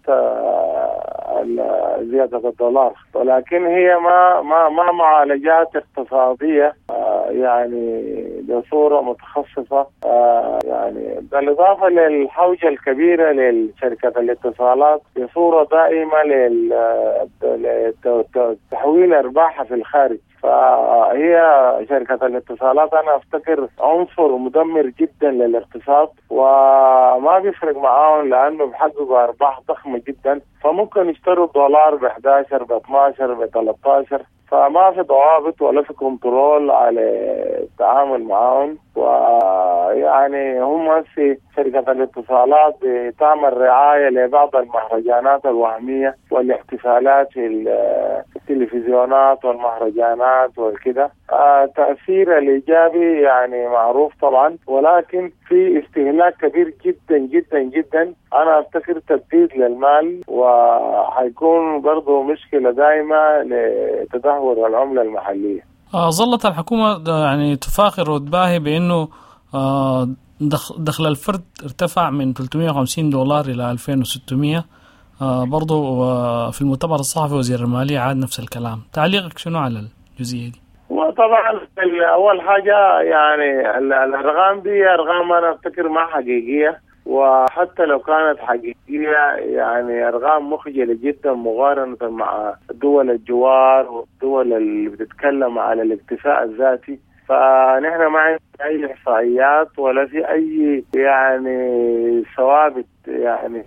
زيادة الدولار، ولكن هي ما ما ما معالجات اقتصادية يعني بصورة متخصصة. يعني بالإضافة للحوجة الكبيرة لشركة الاتصالات بصورة دائمة لتحويل أرباحها في الخارج. فهي شركة الاتصالات أنا أفتكر عنصر مدمر جدا للاقتصاد، وما بيفرق معاهم لأنه بحققوا أرباح ضخمة جدا، فممكن يشتروا الدولار ب 11 ب 12 ب 13. فما في ضوابط ولا في كنترول على التعامل معاهم. ويعني هم في شركة الاتصالات بتعمل رعاية لبعض المهرجانات الوهمية والاحتفالات في التلفزيونات والمهرجانات والكده. تأثير الإيجابي يعني معروف طبعا، ولكن في استهلاك كبير جدا جدا جدا. أنا أفتكر تبديد للمال، وحيكون برضو مشكلة دائمة لتدهور العملة المحلية. ظلت الحكومة يعني تفاخر وتباهي بأنه دخل الفرد ارتفع من 350 دولار إلى 2600. برضو في المؤتمر الصحفي وزير المالية عاد نفس الكلام. تعليقك شنو على الجزئية دي؟ وطبعا أول حاجة يعني الأرقام دي أرقام أنا أفتكر ما حقيقية، وحتى لو كانت حقيقية يعني أرقام مخجلة جدا مقارنة مع دول الجوار والدول اللي بتتكلم على الاكتفاء الذاتي. فنحن ما عندنا أي إحصائيات ولا في أي يعني ثوابت يعني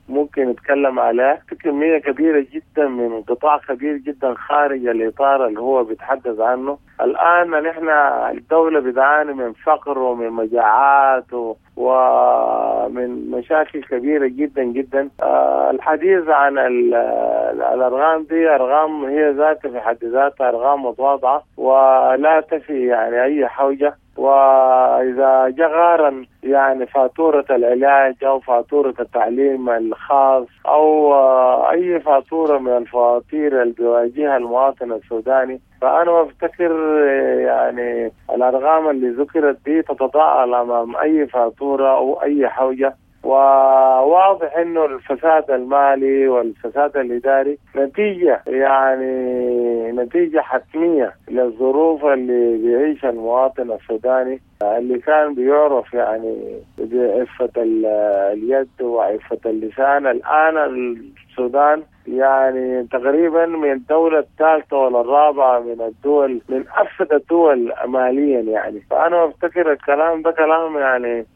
ممكن نتكلم عليها. في كمية كبيرة جدا من قطاع كبير جدا خارج الإطار اللي هو بيتحدث عنه الآن. نحن الدولة بتعاني من فقر ومن مجاعات ومن مشاكل كبيرة جدا جدا. الحديث عن الأرقام دي أرقام هي ذاتها في حد ذاتها أرقام متواضعة ولا تفي يعني أي حوجة. وإذا جاء يعني فاتورة العلاج أو فاتورة التعليم الخاص أو أي فاتورة من الفواتير اللي بيواجهها المواطن السوداني، فأنا أفتكر يعني الأرقام اللي ذكرت دي تتضاءل أمام أي فاتورة أو أي حوجة. وواضح انه الفساد المالي والفساد الاداري نتيجة يعني نتيجة حتمية للظروف اللي بيعيشها المواطن السوداني اللي كان بيعرف يعني بعفه اليد وعفه اللسان. الان السودان يعني تقريبا من الدولة الثالثة ولا الرابعة من الدول، من أفسد الدول ماليا يعني. فأنا أفتكر الكلام ده كلام يعني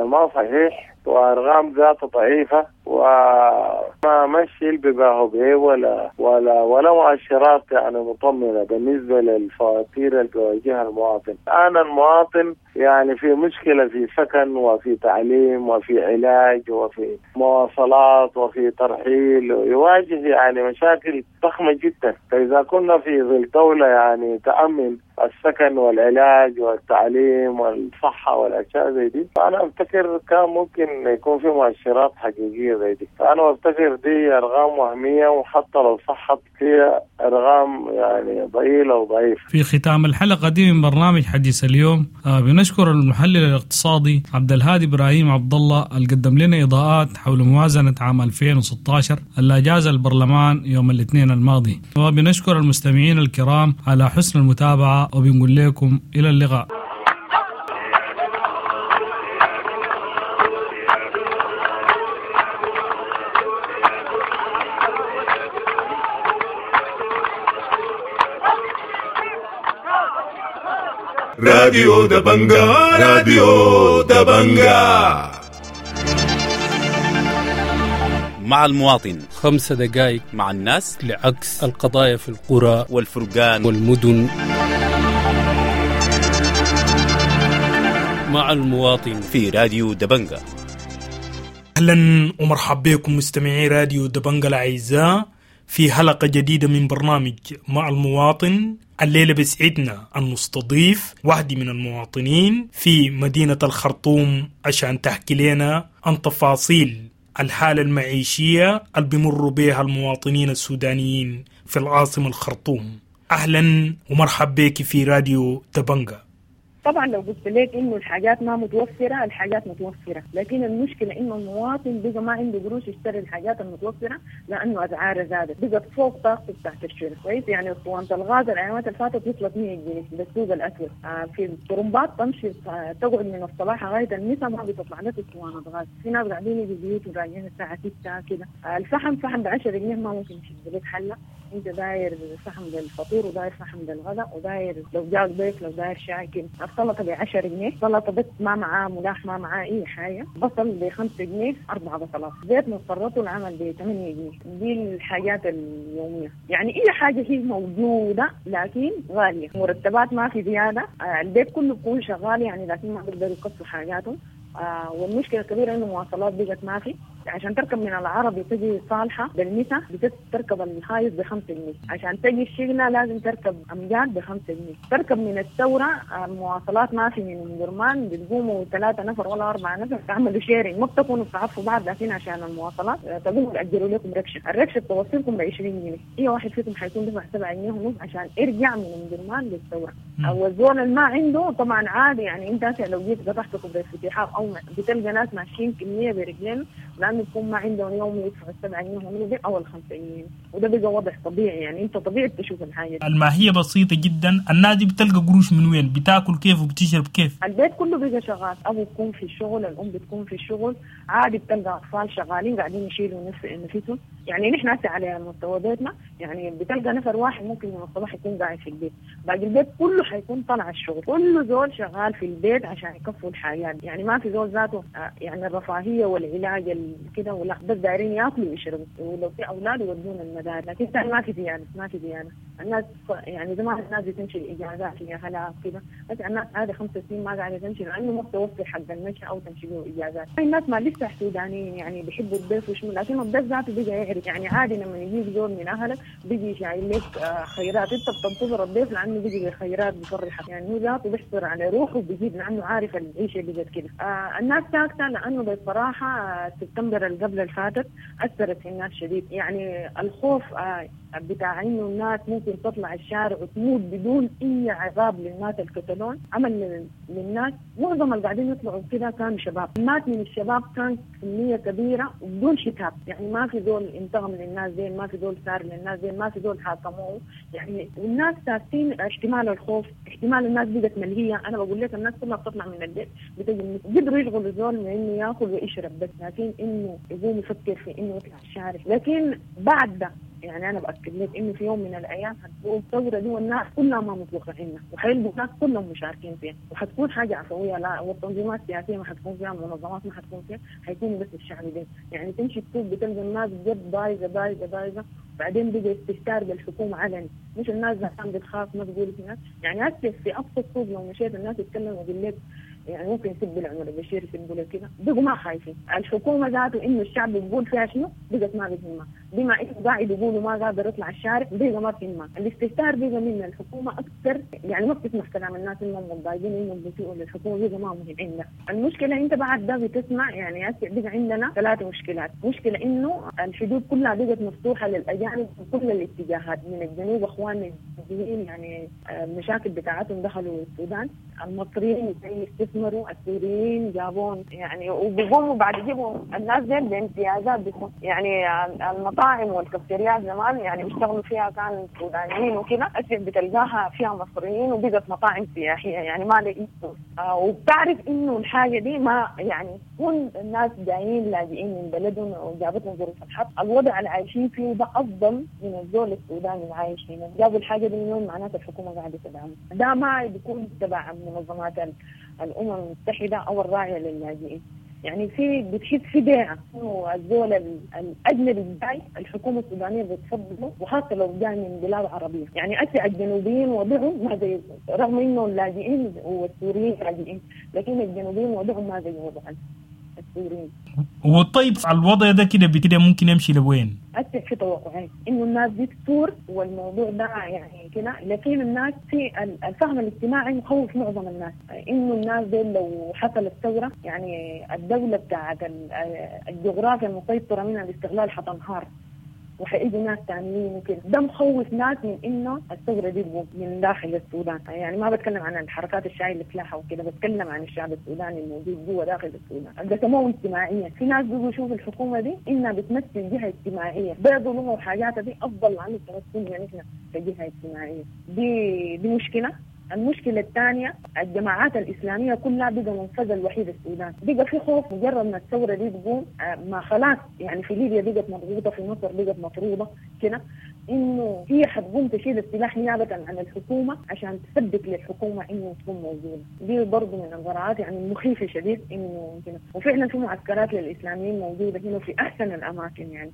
ما صحيح، وأرقام ذاته ضعيفة، وما مشي البباهو به ولا ولا ولا مؤشرات يعني مطمئنة بالنسبة للفواتير اللي بيواجهها المواطن. الآن المواطن يعني في مشكلة في سكن وفي تعليم وفي علاج وفي مواصلات وفي ترحيل، يواجه يعني مشاكل ضخمة جدا. فإذا كنا في ظل دولة يعني تأمن السكن والعلاج والتعليم والصحة والأشياء زي دي، فأنا أفتكر كان ممكن يكون في مؤشرات حقيقية زي دي. فأنا أفتكر دي أرقام وهمية، وحتى لو صحت هي أرقام يعني ضئيلة وضعيفة. في ختام الحلقة دي من برنامج حديث اليوم بنشكر المحلل الاقتصادي عبد الهادي إبراهيم عبد الله اللي قدم لنا إضاءات حول موازنة عام 2016 اللي أجاز البرلمان يوم الاثنين الماضي، وبنشكر المستمعين الكرام على حسن المتابعة، وبنقول لكم إلى اللقاء. راديو دبنجا، راديو دبنجا مع المواطن، 5 دقائق مع الناس، لعكس القضايا في القرى والفرقان والمدن، مع المواطن في راديو دبنجا. أهلا ومرحبا بكم مستمعي راديو دبنجا الأعزاء في حلقة جديدة من برنامج مع المواطن. الليلة بسعدنا أن نستضيف واحدة من المواطنين في مدينة الخرطوم عشان تحكي لنا عن تفاصيل الحالة المعيشية اللي بيمروا بها المواطنين السودانيين في العاصمة الخرطوم. أهلا ومرحبا بك في راديو دبنجا. طبعا لو قلت لك انه الحاجات ما متوفرة، الحاجات متوفرة، لكن المشكلة انه المواطن بقى ما عنده قروش يشتري الحاجات المتوفرة لانه اسعارها زادت، بقت فوق طاقته بتاعت الشراء. كويس، يعني اسطوانة الغاز الايامات اللي فاتت وصلت 100 جنيه بالسوق الاسود. في الطرمبات تمشي تقعد من الصباح لغاية المساء ما بتطلع لك اسطوانة غاز. في ناس قاعدين يجوا بيوت وراجعين الساعة 6 كده. الفحم فحم ب 10 جنيه ما ممكن يشد لك حله. انت داير فحم للفطور وداير فحم للغداء وداير لو جاك ضيف لو داير شاي كده. السلطة ب 10 جنيه، سلطة بس ما معاه ملاح ما معاه اي حاجة. بصل ب 5 جنيه، 4 بصلات. زيت مضطرته العمل ب 8 جنيه. دي الحاجات اليومية، يعني اي حاجة هي موجودة لكن غالية. مرتبات ما في زيادة، البيت كله بيكون شغال يعني لكن ما بيقدروا يكفوا حاجاتهم. والمشكلة الكبيرة انه مواصلات بقت ما في. عشان تركب من العربي تجي صالحه بالمسا بتركب الهايص ب 5 جنيه، عشان تجي الشغلة لازم تركب امجاد ب 5 جنيه، تركب من الثورة المواصلات ما في من درمان بتقوموا 3 نفر ولا 4 نفر تعملوا sharing، ما بتكونوا بتعرفوا بعض، لكن عشان المواصلات تقوموا تاجروا لكم ركشه، الركشه بتوصلكم ب 20 جنيه، اي واحد فيكم حيكون دفع 7 جنيه ونص عشان يرجع من درمان للثورة. او الزول اللي ما عنده طبعا عادي، يعني انت لو جيت قطعت كوبري الفتيحاب او بتلقى ناس ماشيين كمية برجلين لانه يكون ما عندهم يوم يدفعوا 7 جنيه ونص او 5 جنيه، وده بقى وضع طبيعي. يعني انت طبيعي بتشوف الحاجة دي. الماهية بسيطة جدا، الناس دي بتلقى قروش من وين؟ بتاكل كيف وبتشرب كيف؟ البيت كله بقى شغال، ابو بيكون في الشغل، الام بتكون في الشغل، عادي بتلقى اطفال شغالين قاعدين يشيلوا نفسهم. يعني نحن هسه على مستوى بيتنا يعني بتلقى نفر واحد ممكن من الصباح يكون قاعد في البيت، باقي البيت كله حيكون طالع الشغل، كله زول شغال في البيت عشان يكفوا الحياة. يعني ما في زول ذاته يعني الرفاهية والعلاج كده ولا، بس دايرين ياكلوا ويشربوا، ولو في اولاد يودون المدارس. لكن ما في زيادة، ما في زيادة. الناس يعني زمان الناس بتمشي الاجازات يا هلا كده، بس الناس عادي 5 سنين ما قاعدة تمشي لانه ما بتوفر حق المشي او تمشي به اجازات. الناس ما لسه سودانيين يعني بيحبوا الضيف وشنو، لكن الضيف ذاته بقى يعرف. يعني عادي لما يجيك زول من اهلك بيجي شايل لك خيرات، انت بتنتظر الضيف لانه بيجي بخيرات بفرحك، يعني هو ذاته بيحصر على روحه وبيجيب لانه عارف العيشة اللي جت كده. الناس ساكته لانه بصراحة سبتمبر اللي قبل اللي فاتت اثرت في الناس شديد. يعني الخوف بتاع انه الناس ممكن تطلع الشارع وتموت بدون اي عذاب للناس الكتالون عمل للناس. معظم اللي قاعدين يطلعوا كده كانوا شباب، مات من الشباب كان كمية كبيرة وبدون شتاب، يعني ما في زول انتقم للناس زين، ما في زول سار للناس زين، ما في زول حاكموه. يعني الناس ساكتين، احتمال الخوف، احتمال الناس بقت ملهيه. انا بقول لك الناس كلها بتطلع من البيت بتجي قدروا يشغلوا زول من انه ياكل ويشرب بس، لكن انه انه يقوم يفكر في انه يطلع الشارع. لكن بعد ده يعني انا باكد لك انه في يوم من الايام حتكون الثورة دي والناس كلها ما متوقعينها، وحيلقوا الناس كلهم مشاركين فيها، وحتكون حاجة عفوية، لا والتنظيمات السياسية ما حتكون فيها، المنظمات ما حتكون فيها، حيكون بس الشعب ده. يعني تمشي السوق بتلقى الناس جد بايظة بايظة بايظة، بعدين بقى استهتار بالحكومة علني، مش الناس زمان بتخاف ما تقول هناك. يعني هسه في ابسط سوق لو مشيت الناس يتكلموا يقول لك يعني ممكن يسبوا لعمر البشير، يسبوا له كده، بقوا ما خايفين. الحكومة ذاته انه الشعب بيقول فيها شنو بقت ما بتهمها، بما انه قاعد يقولوا ما قادر يطلع الشارع بقى ما بتهمها. الاستهتار بقى من الحكومة اكثر، يعني ما بتسمح كلام الناس انهم متضايقين انهم بيسيئوا للحكومة، بقى ما مهم عندنا. المشكلة انت بعد ده بتسمع يعني هسه بقى عندنا 3 مشكلات. مشكلة انه الحدود كلها بقت مفتوحة للاجانب في كل الاتجاهات، من الجنوب اخواننا الجنوبيين يعني المشاكل بتاعتهم دخلوا السودان، المصريين يستثمروا، السوريين جابون يعني، وبيقوموا بعد يجيبوا الناس دي بامتيازات بيكون يعني المطاعم والكافتريات زمان يعني بيشتغلوا فيها كان سودانيين وكده، هسه بتلقاها فيها مصريين وبقت مطاعم سياحية يعني ما لقيت. وبتعرف انه الحاجة دي ما يعني كل الناس جايين لاجئين من بلدهم وجابتهم ظروف الحرب، الوضع اللي عايشين فيه ده افضل من الزول السوداني اللي عايش هنا. جابوا الحاجة دي من وين؟ معناته الحكومة قاعدة تدعمه. ده ما بيكون تبع منظمات الأمم المتحدة أو الراعية للاجئين. يعني في بتحس في بيعة إنه الزول الأجنبي الجاي الحكومة السودانية بتفضله، وخاصة لو جاي من بلاد عربية. يعني أسع الجنوبيين وضعهم ما زي، رغم إنه اللاجئين والسوريين لاجئين، لكن الجنوبيين وضعهم ما زي وضع السوريين. وطيب الوضع ده كده ممكن يمشي لوين؟ أسع في توقعين إنه الناس دي تثور والموضوع ده يعني كده، لكن الناس في الفهم الاجتماعي مخوف معظم الناس إنه الناس دي لو حصلت ثورة يعني الدولة بتاعت الجغرافيا المسيطرة منها الاستغلال حتنهار وحيجوا ناس تانيين وكده. ده مخوف ناس من انه الثورة دي تقوم من داخل السودان. يعني ما بتكلم عن الحركات الشعبية اللي سلاحها وكده، بتكلم عن الشعب السوداني الموجود جوا داخل السودان. قسموه اجتماعيا، في ناس بيقولوا شوف الحكومة دي انها بتمثل جهة اجتماعية، بيضوا وحاجاتها دي افضل عن التمثل يعني احنا كجهه اجتماعية. دي مشكلة. المشكلة الثانية الجماعات الإسلامية كلها بقى منفذ الوحيد السودان، بقى في خوف مجرد ما الثورة دي تقوم ما خلاص يعني في ليبيا بقت مضغوطة، في مصر بقت مطرودة كده، إنه هي حتقوم تشيل السلاح نيابة عن الحكومة عشان تثبت للحكومة إنه تكون موجودة. دي برضه من الغراءات يعني المخيفة شديد إنه كده. وفعلا في معسكرات للإسلاميين موجودة هنا في أحسن الأماكن. يعني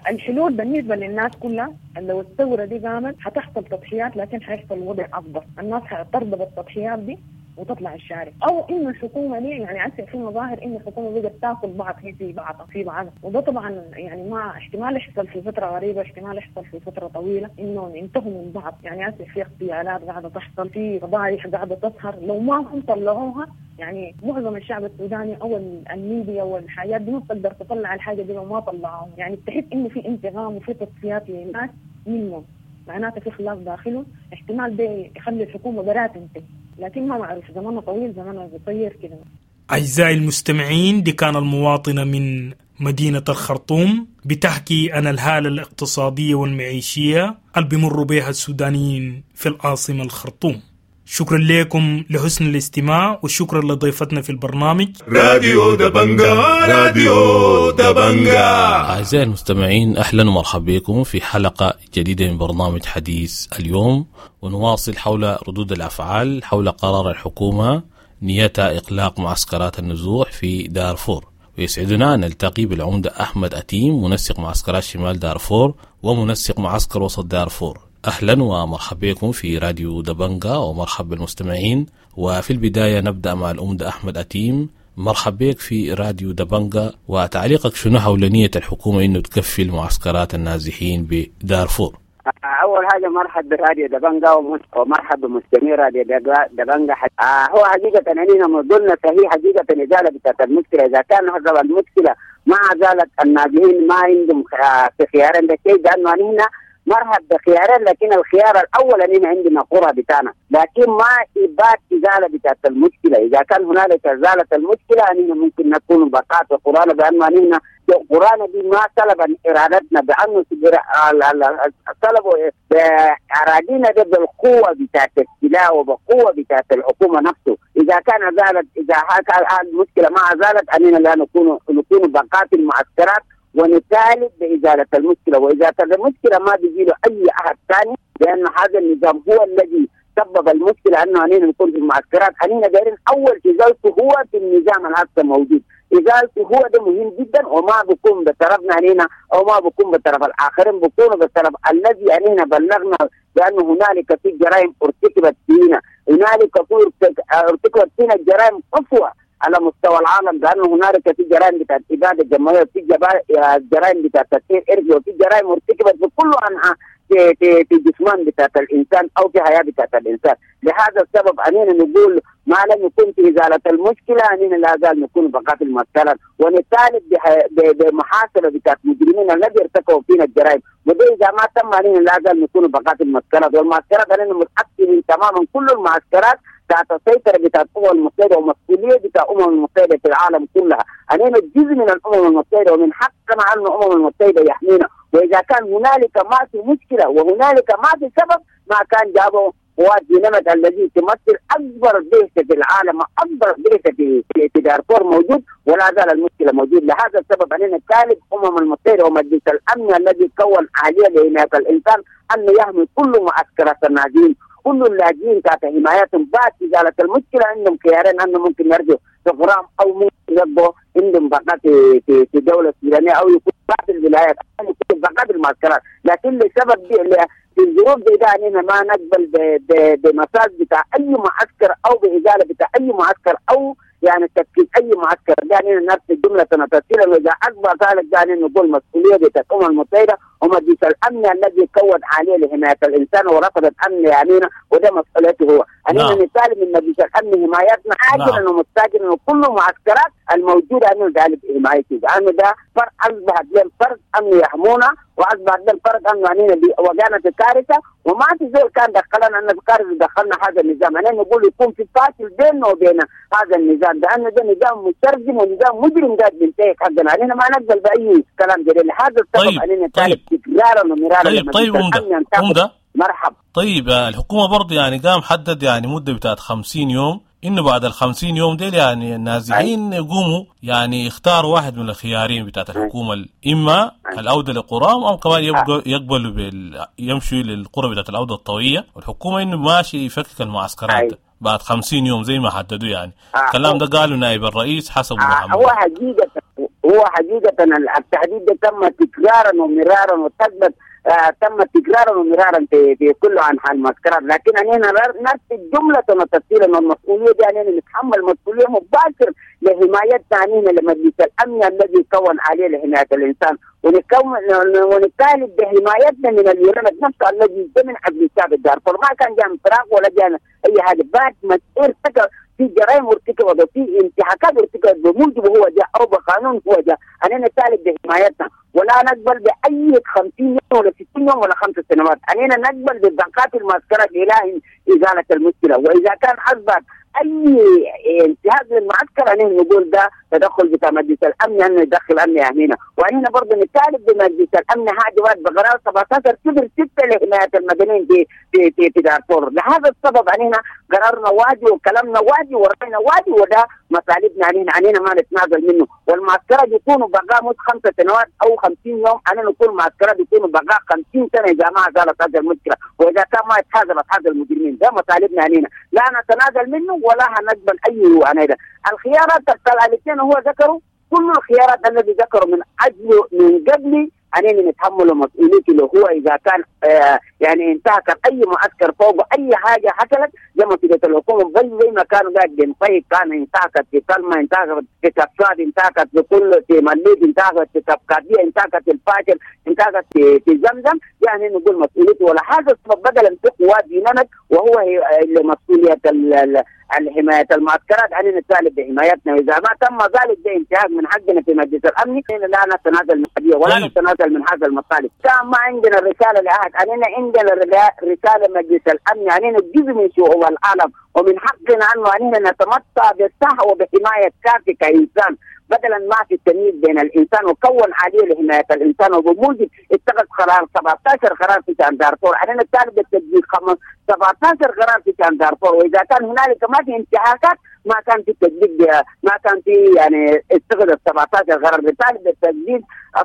الحلول بالنسبة للناس كلها لو الثورة دي قامت حتحصل تضحيات، لكن حيحصل وضع أفضل، الناس ترضى بالتضحيات دي وتطلع الشارع. او انه الحكومة دي يعني هسه في مظاهر انه الحكومة بقت تاكل بعض هي في بعض في بعض، وده طبعا يعني ما احتمال يحصل في فترة قريبه، احتمال يحصل في فترة طويلة انه ينتهوا من بعض. يعني هسه في اغتيالات قاعدة تحصل، في فضايح قاعدة تظهر، لو ما هم طلعوها يعني معظم الشعب السوداني او الميديا والحاجات دي ما بتقدر تطلع الحاجة دي لو ما طلعوها. يعني بتحس انه في انتقام وفي تصفيات للناس منهم، معناته في خلاف داخله، احتمال ده يخلي الحكومة برا تنتهي، لكن ما معروف، زماننا طويل زماننا قصير كده. أعزائي المستمعين، دي كان المواطنة من مدينة الخرطوم بتحكي عن الحالة الاقتصادية والمعيشية اللي بيمروا بها السودانيين في العاصمة الخرطوم. شكرا لكم لحسن الاستماع، وشكرا لضيفتنا في البرنامج راديو دبنجا. راديو دبنجا. أعزائي المستمعين، أهلا ومرحبا بكم في حلقة جديدة من برنامج حديث اليوم، ونواصل حول ردود الأفعال حول قرار الحكومة نيتها إغلاق معسكرات النزوح في دارفور. ويسعدنا أن نلتقي بالعمدة أحمد أتيم، منسق معسكرات شمال دارفور ومنسق معسكر وسط دارفور. أهلا ومرحبا بكم في راديو دبنجا، ومرحبا بالمستمعين. وفي البداية نبدأ مع العمدة أحمد أتيم. مرحبا بك في راديو دبنجا، وتعليقك شنو حول نية الحكومة إنه تكفل معسكرات النازحين بدارفور؟ أول حاجة مرحب براديو دبنجا ومرحب بمستمعي راديو دبنجا. هو حقيقة أننا موضوعنا صحيح حقيقة إزالة بتاعت المشكلة. إذا كان حسب المشكلة ما زالت النازحين ما عندهم في خيار عند شيء، لأنه هنا مرحب بخيارين، لكن الخيار الاول اننا عندنا قرى بتاعنا، لكن ما إبات ازالة بتاعت المشكلة. اذا كان هنالك ازالة المشكلة اننا ممكن نكون بقاء في قرانا، بانه اننا قرانا دي ما سلبا ارادتنا، بانه سلبوا باراضينا ده بالقوة بتاعت السلاح وبقوة بتاعت الحكومة نفسه. اذا كان ازالت، اذا المشكلة ما ازالت اننا لا نكون بقاء في المعسكرات ونطالب بإزالة المشكلة. وإذا المشكلة ما بيجي له أي أحد ثاني، لأن هذا النظام هو الذي سبب المشكلة أنه أننا نكون في المعسكرات. أننا دايرين أول إزالته هو في النظام الهسه موجود، إزالته هو ده مهم جدا، وما بكون بطرفنا أننا أو ما بكون بطرف الآخرين، بكون بطرف الذي أننا بلغنا بأن هنالك في جرائم ارتكبت فينا، هنالك ارتكبت فينا جرائم قسوة على مستوى العالم، لانه هنالك في جرائم بتاعت ابادة جماعية، وفي جرائم بتاعت تطهير ارثي، وفي جرائم ارتكبت بكل انحاء في جسمان بتاعت الانسان او في حياة بتاعت الانسان. لهذا السبب اننا نقول ما لم يكن في ازالة المشكلة اننا لا زال نكون بقاء في المعسكرات، ونطالب بمحاسبه بتاعت المجرمين الذي ارتكبوا فينا الجرائم، وده اذا ما تم اننا لا زال نكون بقاء في المعسكرات. والمعسكرات اننا متاكدين تماما كل المعسكرات تحت السيطرة بتاعت الأمم المتحدة ومسؤولية بتاع الأمم المتحدة في العالم كلها. أننا جزء من الأمم المتحدة ومن حقنا أن الأمم المتحدة يحمينا، وإذا كان هنالك ما في مشكلة وهنالك ما في سبب ما كان جابوا قوات ديناميت الذي تمثل أكبر بعثة في العالم، أكبر بعثة في دارفور موجود، ولا زال المشكلة موجود. لهذا السبب أننا نطالب الأمم المتحدة ومجلس الأمن الذي كون آلية لحماية الإنسان أنه يحمي كل معسكرات الناجين، كل اللاجئين تحت حمايتهم. بعد إزالة المشكلة عندهم خيارين، أنه ممكن يرجعوا في غرام أو ممكن يبقوا عندهم بقاء في الدولة السودانية أو يكون بعض الولايات أو يكون بقاء في المعسكرات. لكن لسبب في الظروف دي ده أننا ما نقبل بمساج بتاع أي معسكر أو بإزالة بتاع أي معسكر أو يعني تفكيك أي معسكر. يعني نفس الجملة تنتسيلا، وإذا أكبر ذلك يعني نقول مسؤولية بتاعت الأمم المتحدة ومجلس الأمن الذي كون عليه لحماية الإنسان ورفض الأمن يعنينا، وده مسؤوليته هو. أننا نطالب من مجلس الأمن حمايتنا عاجلا ومستعجلا، وكل المعسكرات الموجودة أنه نطالب بحمايته، لأنه ده فرق أصبح لهم فرق أنه يحمونا، وأصبح لهم فرق أنه أننا وقعنا في كارثة، وما في زول كان دخلنا أن في كارثة دخلنا هذا النظام. أنا نقول يكون في فاصل بيننا وبين هذا النظام، لأنه ده نظام مترجم ونظام مجرم قاعد بينتهك حقنا. علينا ما نقبل بأي كلام جديد. لهذا السبب علينا نطالب تكرارا ومرارا. طيب عمدة مرحب. طيب الحكومة برضه يعني قام حدد يعني مدة بتاعت 50 يوم، إنه بعد 50 يوم ديل يعني النازحين يقوموا يعني يختاروا واحد من الخيارين بتاعت الحكومة، إما العودة لقراهم أو كمان يقبلوا يمشوا للقرى بتاعت العودة الطوعية. والحكومة إنه ماشي يفكك المعسكرات بعد 50 يوم زي ما حددوا. يعني الكلام ده قالوا نائب الرئيس حسب محمد. هو حقيقة التحديد ده تم تكرارا ومرارا وتثبت تم تكرارا ومرارا في كل انحاء المعسكرات، لكن اننا نرفض جملة وتفصيلا، والمسؤولية دي اننا نتحمل مسؤولية مباشر لحمايتنا اننا لمجلس الامن الذي كون عليه لحماية الانسان، ونطالب بحمايتنا من اليونان نفسه الذي من اجل الشعب الدارفور. ما كان جاء من فراغ ولا جاء اي حاجة، بعد ما ارتكب في جرائم ارتكبت وفي انتهاكات ارتكبت بموجب هو جاء او بقانون هو جاء. اننا نطالب بحمايتنا ولا نقبل باي 50 يوم ولا 60 يوم ولا 5 سنوات. اننا نقبل ببقاء المعسكرات الى ازالة المشكلة، واذا كان اصبح اي انتهاك للمعسكر اننا نقول ده تدخل بتاع مجلس الامن انه يدخل امن يهمينا. واننا برضه نطالب بمجلس الامن حاجة واحد بقرار 17/06 لحماية المدنيين في في في دارفور. لهذا السبب اننا قرارنا واجي وكلامنا واجي وراينا واجي، وده مطالبنا علينا ما نتنازل منه. والمعسكرات يكونوا بقاء مش 5 سنوات او 50 يوم، انا نقول معسكرات يكونوا بقاء 50 سنة اذا ما زالت هذه المشكلة، واذا كان ما يتحاسب هذا المجرمين. ده مطالبنا علينا، لا نتنازل منه ولا هنقبل اي عناية. الخيارات الاثنين هو ذكروا كل الخيارات الذي ذكروا من اجل من قبل علينا نتحمل مسؤوليته، اللي هو اذا كان يعني انتهك اي معسكر فوق اي حاجة حصلت زي ما مسؤولية الحكومة، زي ما كانوا قاعد بينطيق، كان انتهكت في سلمى، انتهكت في كفاد، انتهكت في كل في مليك، انتهكت في كفكاديه، انتهكت في الفاجر، انتهكت في زمزم. يعني نقول مسؤوليته. ولا هذا السبب بدلا في قوات دينامت، وهو اللي مسؤولية حماية المعسكرات، علينا نطالب بحمايتنا، واذا ما تم ذلك ده انتهاك من حقنا في مجلس الامن. لا نتنازل من القضية ولا نتنازل من هذا المطالب. كان ما عندنا رسالة لاحد، علينا عندنا رسالة مجلس الامن، علينا جزء من شعوب العالم، ومن حقنا انه علينا نتمتع بالصحة وبحمايه كافيه كانسان، بدلا ما في التمييز بين الانسان، وكون آلية لحماية الانسان، وبموجب اتخذ قرار 17 قرار في شان دارفور، علينا نطالب بالتطبيق 17 قرار في شان دارفور، واذا كان هنالك ما في انتهاكات ما كان في تطبيق، ما كان في يعني اتخذ 17 قرار، بالتالي بالتجديد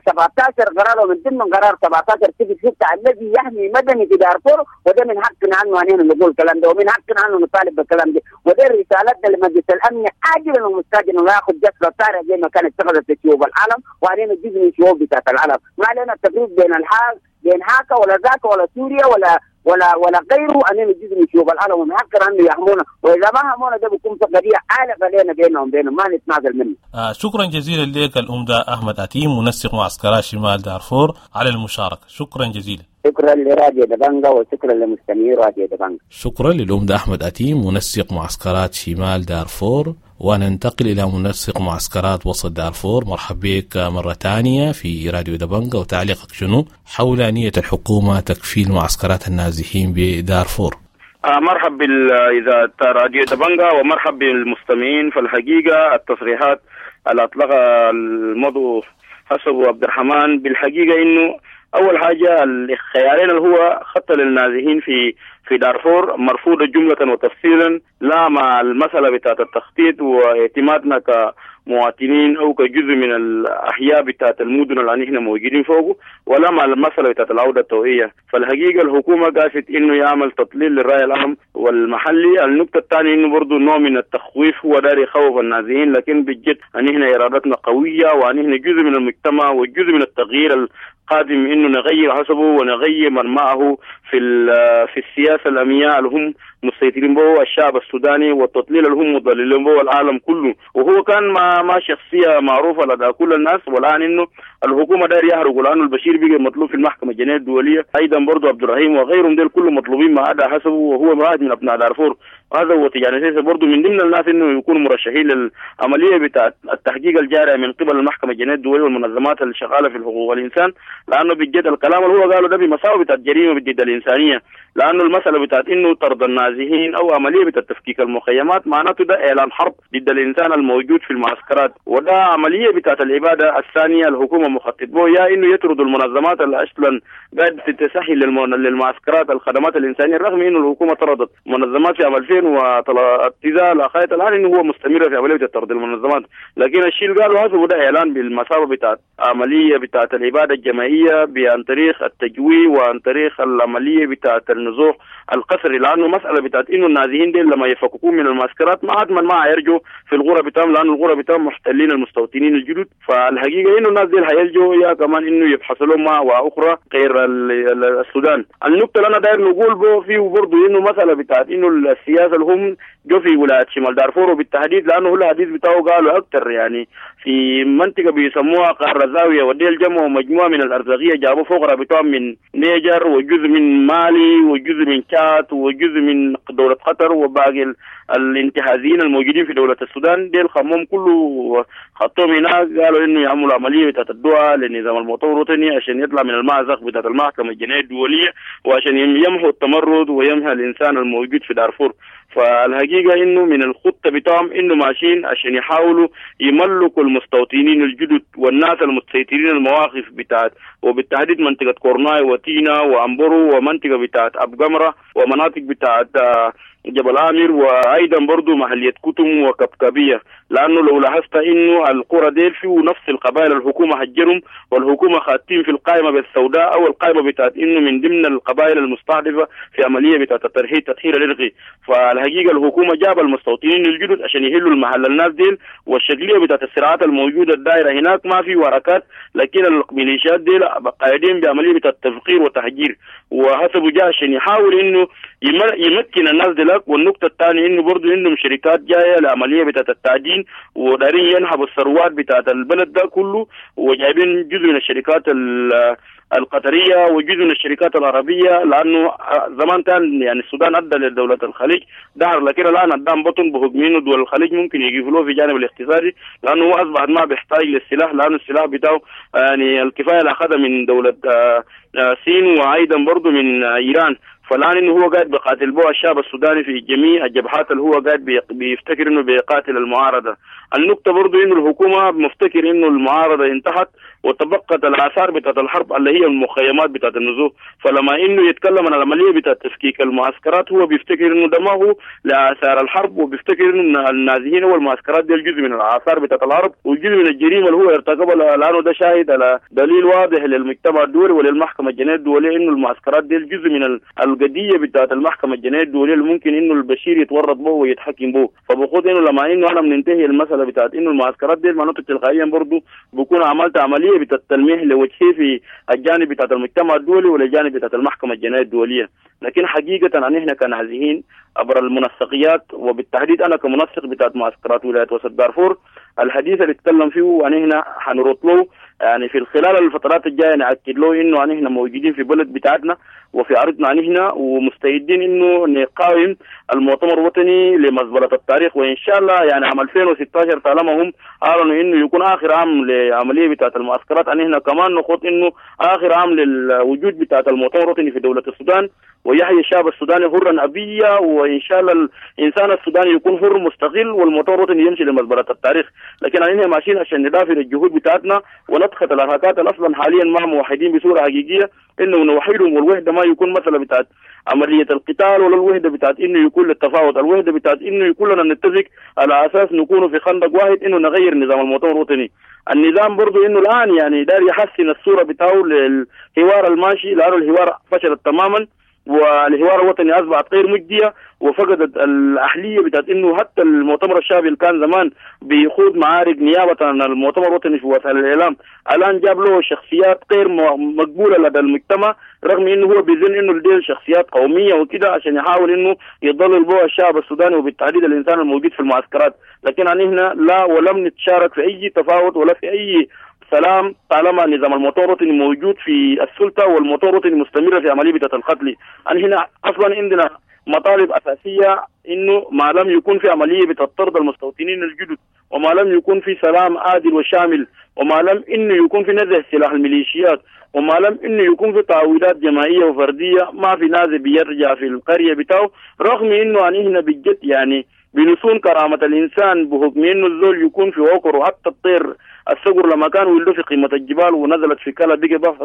17 قرار، ومن ضمن قرار 17/6 الذي يحمي مدني في دارفور، وده من حقنا انه علينا نقول الكلام ده، ومن حقنا انه نطالب بالكلام ده، وده رسالتنا لمجلس الامن عاجلا ومستعجلا، ولا ياخذ جسر طارئ زي ما كانت اتخذت في شعوب العالم، وعلينا جزء من شعوب بتاعت العالم، ما علينا التفريق بين الحاج بين هاكا ولا ذاك ولا سوريا ولا ولا ولا غيره، اننا جزء من شعوب العالم، ومن حقنا انه يحمونا، واذا ما حمونا ده بيكون في قضية عالقة لنا بينهم ما نتنازل منه. شكرا جزيلا لك الأمدة أحمد أتيم منسق معسكرات شمال دارفور على المشاركة، شكرا جزيلا. شكرا لراديو دبنجا وشكرا لمستمعي راديو دبنجا. شكرا للأمدة أحمد أتيم منسق معسكرات شمال دارفور، وننتقل إلى منسق معسكرات وسط دارفور. مرحبا بك مرة ثانية في راديو دبنجا، وتعليقك شنو حول نية الحكومة تكفيل معسكرات النازحين بدارفور؟ مرحب بالإذاعة راديو دبنجا ومرحب بالمستمعين. فالحقيقة التصريحات اللي أطلقها المضو حسب عبد الرحمن بالحقيقة إنه أول حاجة الخيارين اللي هو خطة للنازحين في دارفور مرفوضة جملة وتفصيلا، لا مع المسألة بتاعت التخطيط واعتمادنا كمواطنين أو كجزء من الأحياء بتاعت المدن اللي احنا موجودين فوقه، ولا مع المسألة بتاعت العودة الطوعية. فالحقيقة الحكومة قاست إنه يعمل تضليل للرأي العام والمحلي. النقطة الثانية إنه برضو نوع من التخويف، هو داري يخوف النازحين، لكن بالجد أن احنا إرادتنا قوية وأن احنا جزء من المجتمع وجزء من التغيير قادم، انه نغير حسبه ونغير من معه في السياسة الامنية اللي هم مسيطرين به الشعب السوداني، والتضليل اللي هم مضللين به العالم كله. وهو كان ما شخصية معروفة لدى كل الناس، والان انه الحكومة داير يهرب، لانه البشير بقى مطلوب في المحكمة الجنائية الدولية، ايضا برضه عبد الرحيم وغيرهم ديل كلهم مطلوبين ما عدا حسبه، وهو واحد من ابناء دارفور. هذا هو يعني برضه من ضمن الناس انه يكونوا مرشحين للعملية بتاعت التحقيق الجاري من قبل المحكمة الجنائية الدولية والمنظمات اللي شغالة في الحقوق والانسان، لانه بجد الكلام اللي هو قاله ده بمساوئ بتاعت جريمة ضد الانسانية، لانه المسالة بتاعت انه طرد النازحين او عملية بتاعت تفكيك المخيمات معناته ده اعلان حرب ضد الانسان الموجود في المعسكرات، وده عملية بتاعت الابادة الثانية الحكومة مخطط به، يا انه يطردوا المنظمات اللي اصلا قاعدة تسهل للمعسكرات الخدمات الانسانية، رغم انه الحكومة طردت منظمات في عام 2009 لغاية الان انه هو مستمر في عملية طرد المنظمات، لكن الشيء اللي قالوا هذا ده اعلان بالمسافة بتاعت عملية بتاعت الابادة الجماعية عن طريق التجويع وعن طريق العملية بتاعت النزوح القسري، لانه مسالة بتاعت انه النازحين دي لما يفككون من المعسكرات ما عاد ما هيرجوا في الغرة بتاعهم، لانه الغرة بتاعهم محتلين المستوطنين الجدد. فالحقيقة انه الناس دي هيلجوا يا كمان انه يبحثوا لهم مأوى اخرى غير السودان. النقطة اللي انا داير نقول به فيه برضه انه مسالة بتاعت انه السياسة اللي هم جو في ولاية شمال دارفور وبالتحديد، لانه هو الحديث بتاعه قالوا اكثر يعني في منطقة بيسموها قهر زاوية، وديل جمعوا مجموعة من الارزاقيه جابوا فقراء بتوعهم من نيجر وجزء من مالي وجزء من تشاد وجزء من دولة قطر وباقي الانتهازيين الموجودين في دولة السودان، ديل خمهم كله خطوهم هناك، قالوا انه يعملوا عملية بتاعت الدعاء للنظام المؤتمر الوطني عشان يطلع من المأزق بتاعت المحكمة الجنائية الدولية، وعشان يمحوا التمرد ويمحى الانسان الموجود في دارفور. فالحقيقة انه من الخطة بتاعهم انه ماشيين عشان يحاولوا يملكوا المستوطنين الجدد والناس المسيطرين المواقف بتاعت، وبالتحديد منطقة كورناي وتينا وأمبرو ومنطقة بتاعت أبقمرة ومناطق بتاعت جبل عامر، وايضا برضو محلية كتم وكبكبية، لانه لو لاحظت انه القرى ديل فيه نفس القبائل الحكومة هجرهم، والحكومة خاتين في القائمة بالسوداء او القائمة بتاعت انه من ضمن القبائل المستهدفة في عملية بتاعت الترحيل تطهير الارقي. فالحقيقة الحكومة جاب المستوطنين الجدد عشان يهلوا المحل الناس ديل، والشكلية بتاعت الصراعات الموجودة الدائرة هناك ما في وركات، لكن الميليشيات ديل قاعدين بعملية بتاعت تفقير وتهجير، وحسبوا جاء عشان يحاول انه يمكن الناس دي بعدك. والنقطة الثانية إنه برضو عندهم شركات جاية لعملية بتاعت التعدين ودارين ينهبوا الثروات بتاعت البلد ده كله، وجايبين جزء من الشركات القطرية وجزء من الشركات العربية، لأنه زمان كان يعني السودان أدى لدولة الخليج دهر، لكن الآن أدام بطن بحكم إنه دول الخليج ممكن يقفلوه في جانب الاقتصادي، لأنه هو أصبح ما بيحتاج للسلاح، لأنه السلاح بتاعه يعني الكفاية اللي أخذها من دولة الصين وأيضا برضه من إيران. فالآن إنه هو قاعد بيقاتل به الشعب السوداني في جميع الجبهات اللي هو قاعد بيفتكر إنه بيقاتل المعارضة. النقطة برضو إنه الحكومة مفتكر إنه المعارضة انتهت وتبقت الآثار بتاعت الحرب اللي هي المخيمات بتاعت النزوح، فلما إنه يتكلم عن العملية بتاعت تفكيك المعسكرات هو بيفتكر إنه ده ما هو لآثار الحرب، وبيفتكر إنه النازحين والمعسكرات دي الجزء من الآثار بتاعت الحرب وجزء من الجريمة اللي هو ارتكبها، لأنه ده شاهد على دليل واضح للمجتمع الدولي وللمحكمة الجنائية الدولية إنه المعسكرات دي الجزء من القضية بتاعت المحكمة الجنائية الدولية اللي ممكن إنه البشير يتورط به ويتحكم به. فبقول إنه لما إنه أنا بننتهي المسألة بتاعت إنه المعسكرات دي معناته تلقائيا برضه بكون عملت عملية بتاعت التلميح لوجهه في الجانب بتاعت المجتمع الدولي والجانب بتاعت المحكمة الجنائية الدولية. لكن حقيقة أن إحنا كنازحين عبر المنسقيات، وبالتحديد أنا كمنسق بتاعت معسكرات ولاية وسط دارفور، الحديث اللي اتكلم فيه وأن إحنا حنرد له يعني في خلال الفترات الجاية نأكد له إنه أن إحنا موجودين في بلد بتاعتنا وفي أرضنا أن إحنا، ومستعدين إنه نقاوم المؤتمر الوطني لمزبلة التاريخ. وإن شاء الله يعني عام 2016 طالما هم أعلنوا إنه يكون آخر عام لعملية بتاعت المعسكرات، أن إحنا كمان نخوض إنه آخر عام للوجود بتاعت المؤتمر الوطني في دولة السودان، ويحيي الشعب السوداني حرا أبيا، وإن شاء الله الإنسان السوداني يكون حر مستقل والمؤتمر الوطني يمشي لمزبلة التاريخ. لكن إحنا ماشيين عشان ندافع الجهود بتاعتنا ونضغط الحركات أصلا حاليا مع موحدين بصورة حقيقية، إنه نوحدهم، والوحدة ما يكون مثلا بتاعت عملية القتال ولا الوحدة بتاعت إنه يكون للتفاوض، الوحدة بتاعت إنه يكون لنا نتفق على أساس نكون في خندق واحد إنه نغير نظام المؤتمر الوطني. النظام برضو إنه الآن يعني دار يحسن الصورة بتاعه للحوار الماشي، لأنه الحوار فشلت تماما والحوار الوطني أصبحت غير مجدية وفقدت الأهلية بتاعت إنه حتى المؤتمر الشعبي اللي كان زمان بيخوض معارك نيابة عن المؤتمر الوطني في وسائل الإعلام، الآن جاب له شخصيات غير مقبولة لدى المجتمع، رغم إنه هو بيظن إنه دي شخصيات قومية وكده عشان يحاول إنه يضلل بها الشعب السوداني وبالتحديد الإنسان الموجود في المعسكرات. لكن عن هنا لا ولم نتشارك في أي تفاوض ولا في أي سلام طالما نظام المؤتمر الوطني موجود في السلطة والمؤتمر الوطني مستمرة في عملية القتل. أن هنا أصلا عندنا مطالب أساسية إنه ما لم يكون في عملية بتطرد المستوطنين الجدد، وما لم يكون في سلام عادل وشامل، وما لم إنه يكون في نزع سلاح الميليشيات، وما لم إنه يكون في تعويضات جماعية وفردية، ما في نازل بيرجع في القرية بتاعه. رغم إنه أن هنا بجد يعني بنصون كرامة الإنسان بحكم إنه الزول يكون في عقر، وحتى الطير الصقر لما كان ولده في قمة الجبال ونزلت في كلا بقى بحث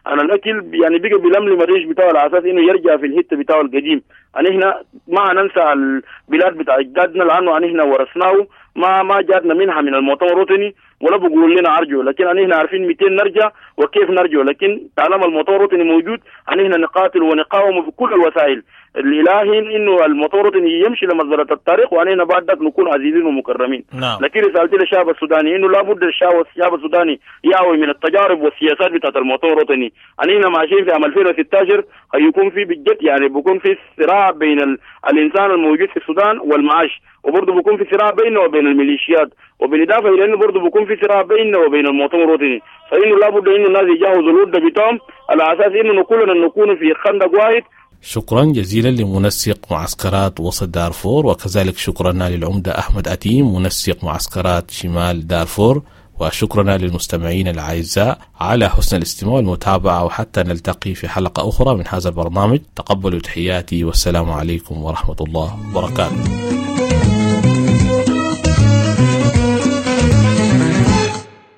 عن الأكل، يعني بقى بلملم الريش بتاعه على أساس إنه يرجع في الهتة بتاعه القديم. أن إحنا ما ننسى البلاد بتاع أجدادنا، لأنه أن إحنا ورثناه ما جاتنا منها من المؤتمر الوطني ولا بقول لنا أرجو، لكن أن إحنا عارفين 200 نرجع وكيف نرجع. لكن طالما المؤتمر الوطني موجود أن إحنا نقاتل ونقاوم بكل الوسائل الإلهي إنه المؤتمر الوطني يمشي لمزبلة التاريخ، وأن إحنا بعد ذاك نكون عزيزين ومكرمين. نعم. لكن رسالتي للشعب السوداني إنه لابد الشعب السوداني يعوي من التجارب والسياسات بتاعت المؤتمر الوطني. أن إحنا ماشيين في عام 2016 هيكون في بجد يعني بيكون في صراع بين الإنسان الموجود في السودان والمعاش، وبرضه بيكون في صراع بينه وبين الميليشيات، وبالإضافة إلى إنه برضه بيكون في صراع بينه وبين المؤتمر الوطني. فإنه لابد إنه الناس يجهزوا الودة بتاعهم على أساس إنه كلنا نكون في خندق واحد. شكرا جزيلا لمنسق معسكرات وسط دارفور، وكذلك شكرا للعمدة أحمد أتيم منسق معسكرات شمال دارفور، وشكرا للمستمعين الأعزاء على حسن الاستماع والمتابعة، وحتى نلتقي في حلقة أخرى من هذا البرنامج. تقبلوا تحياتي والسلام عليكم ورحمة الله وبركاته.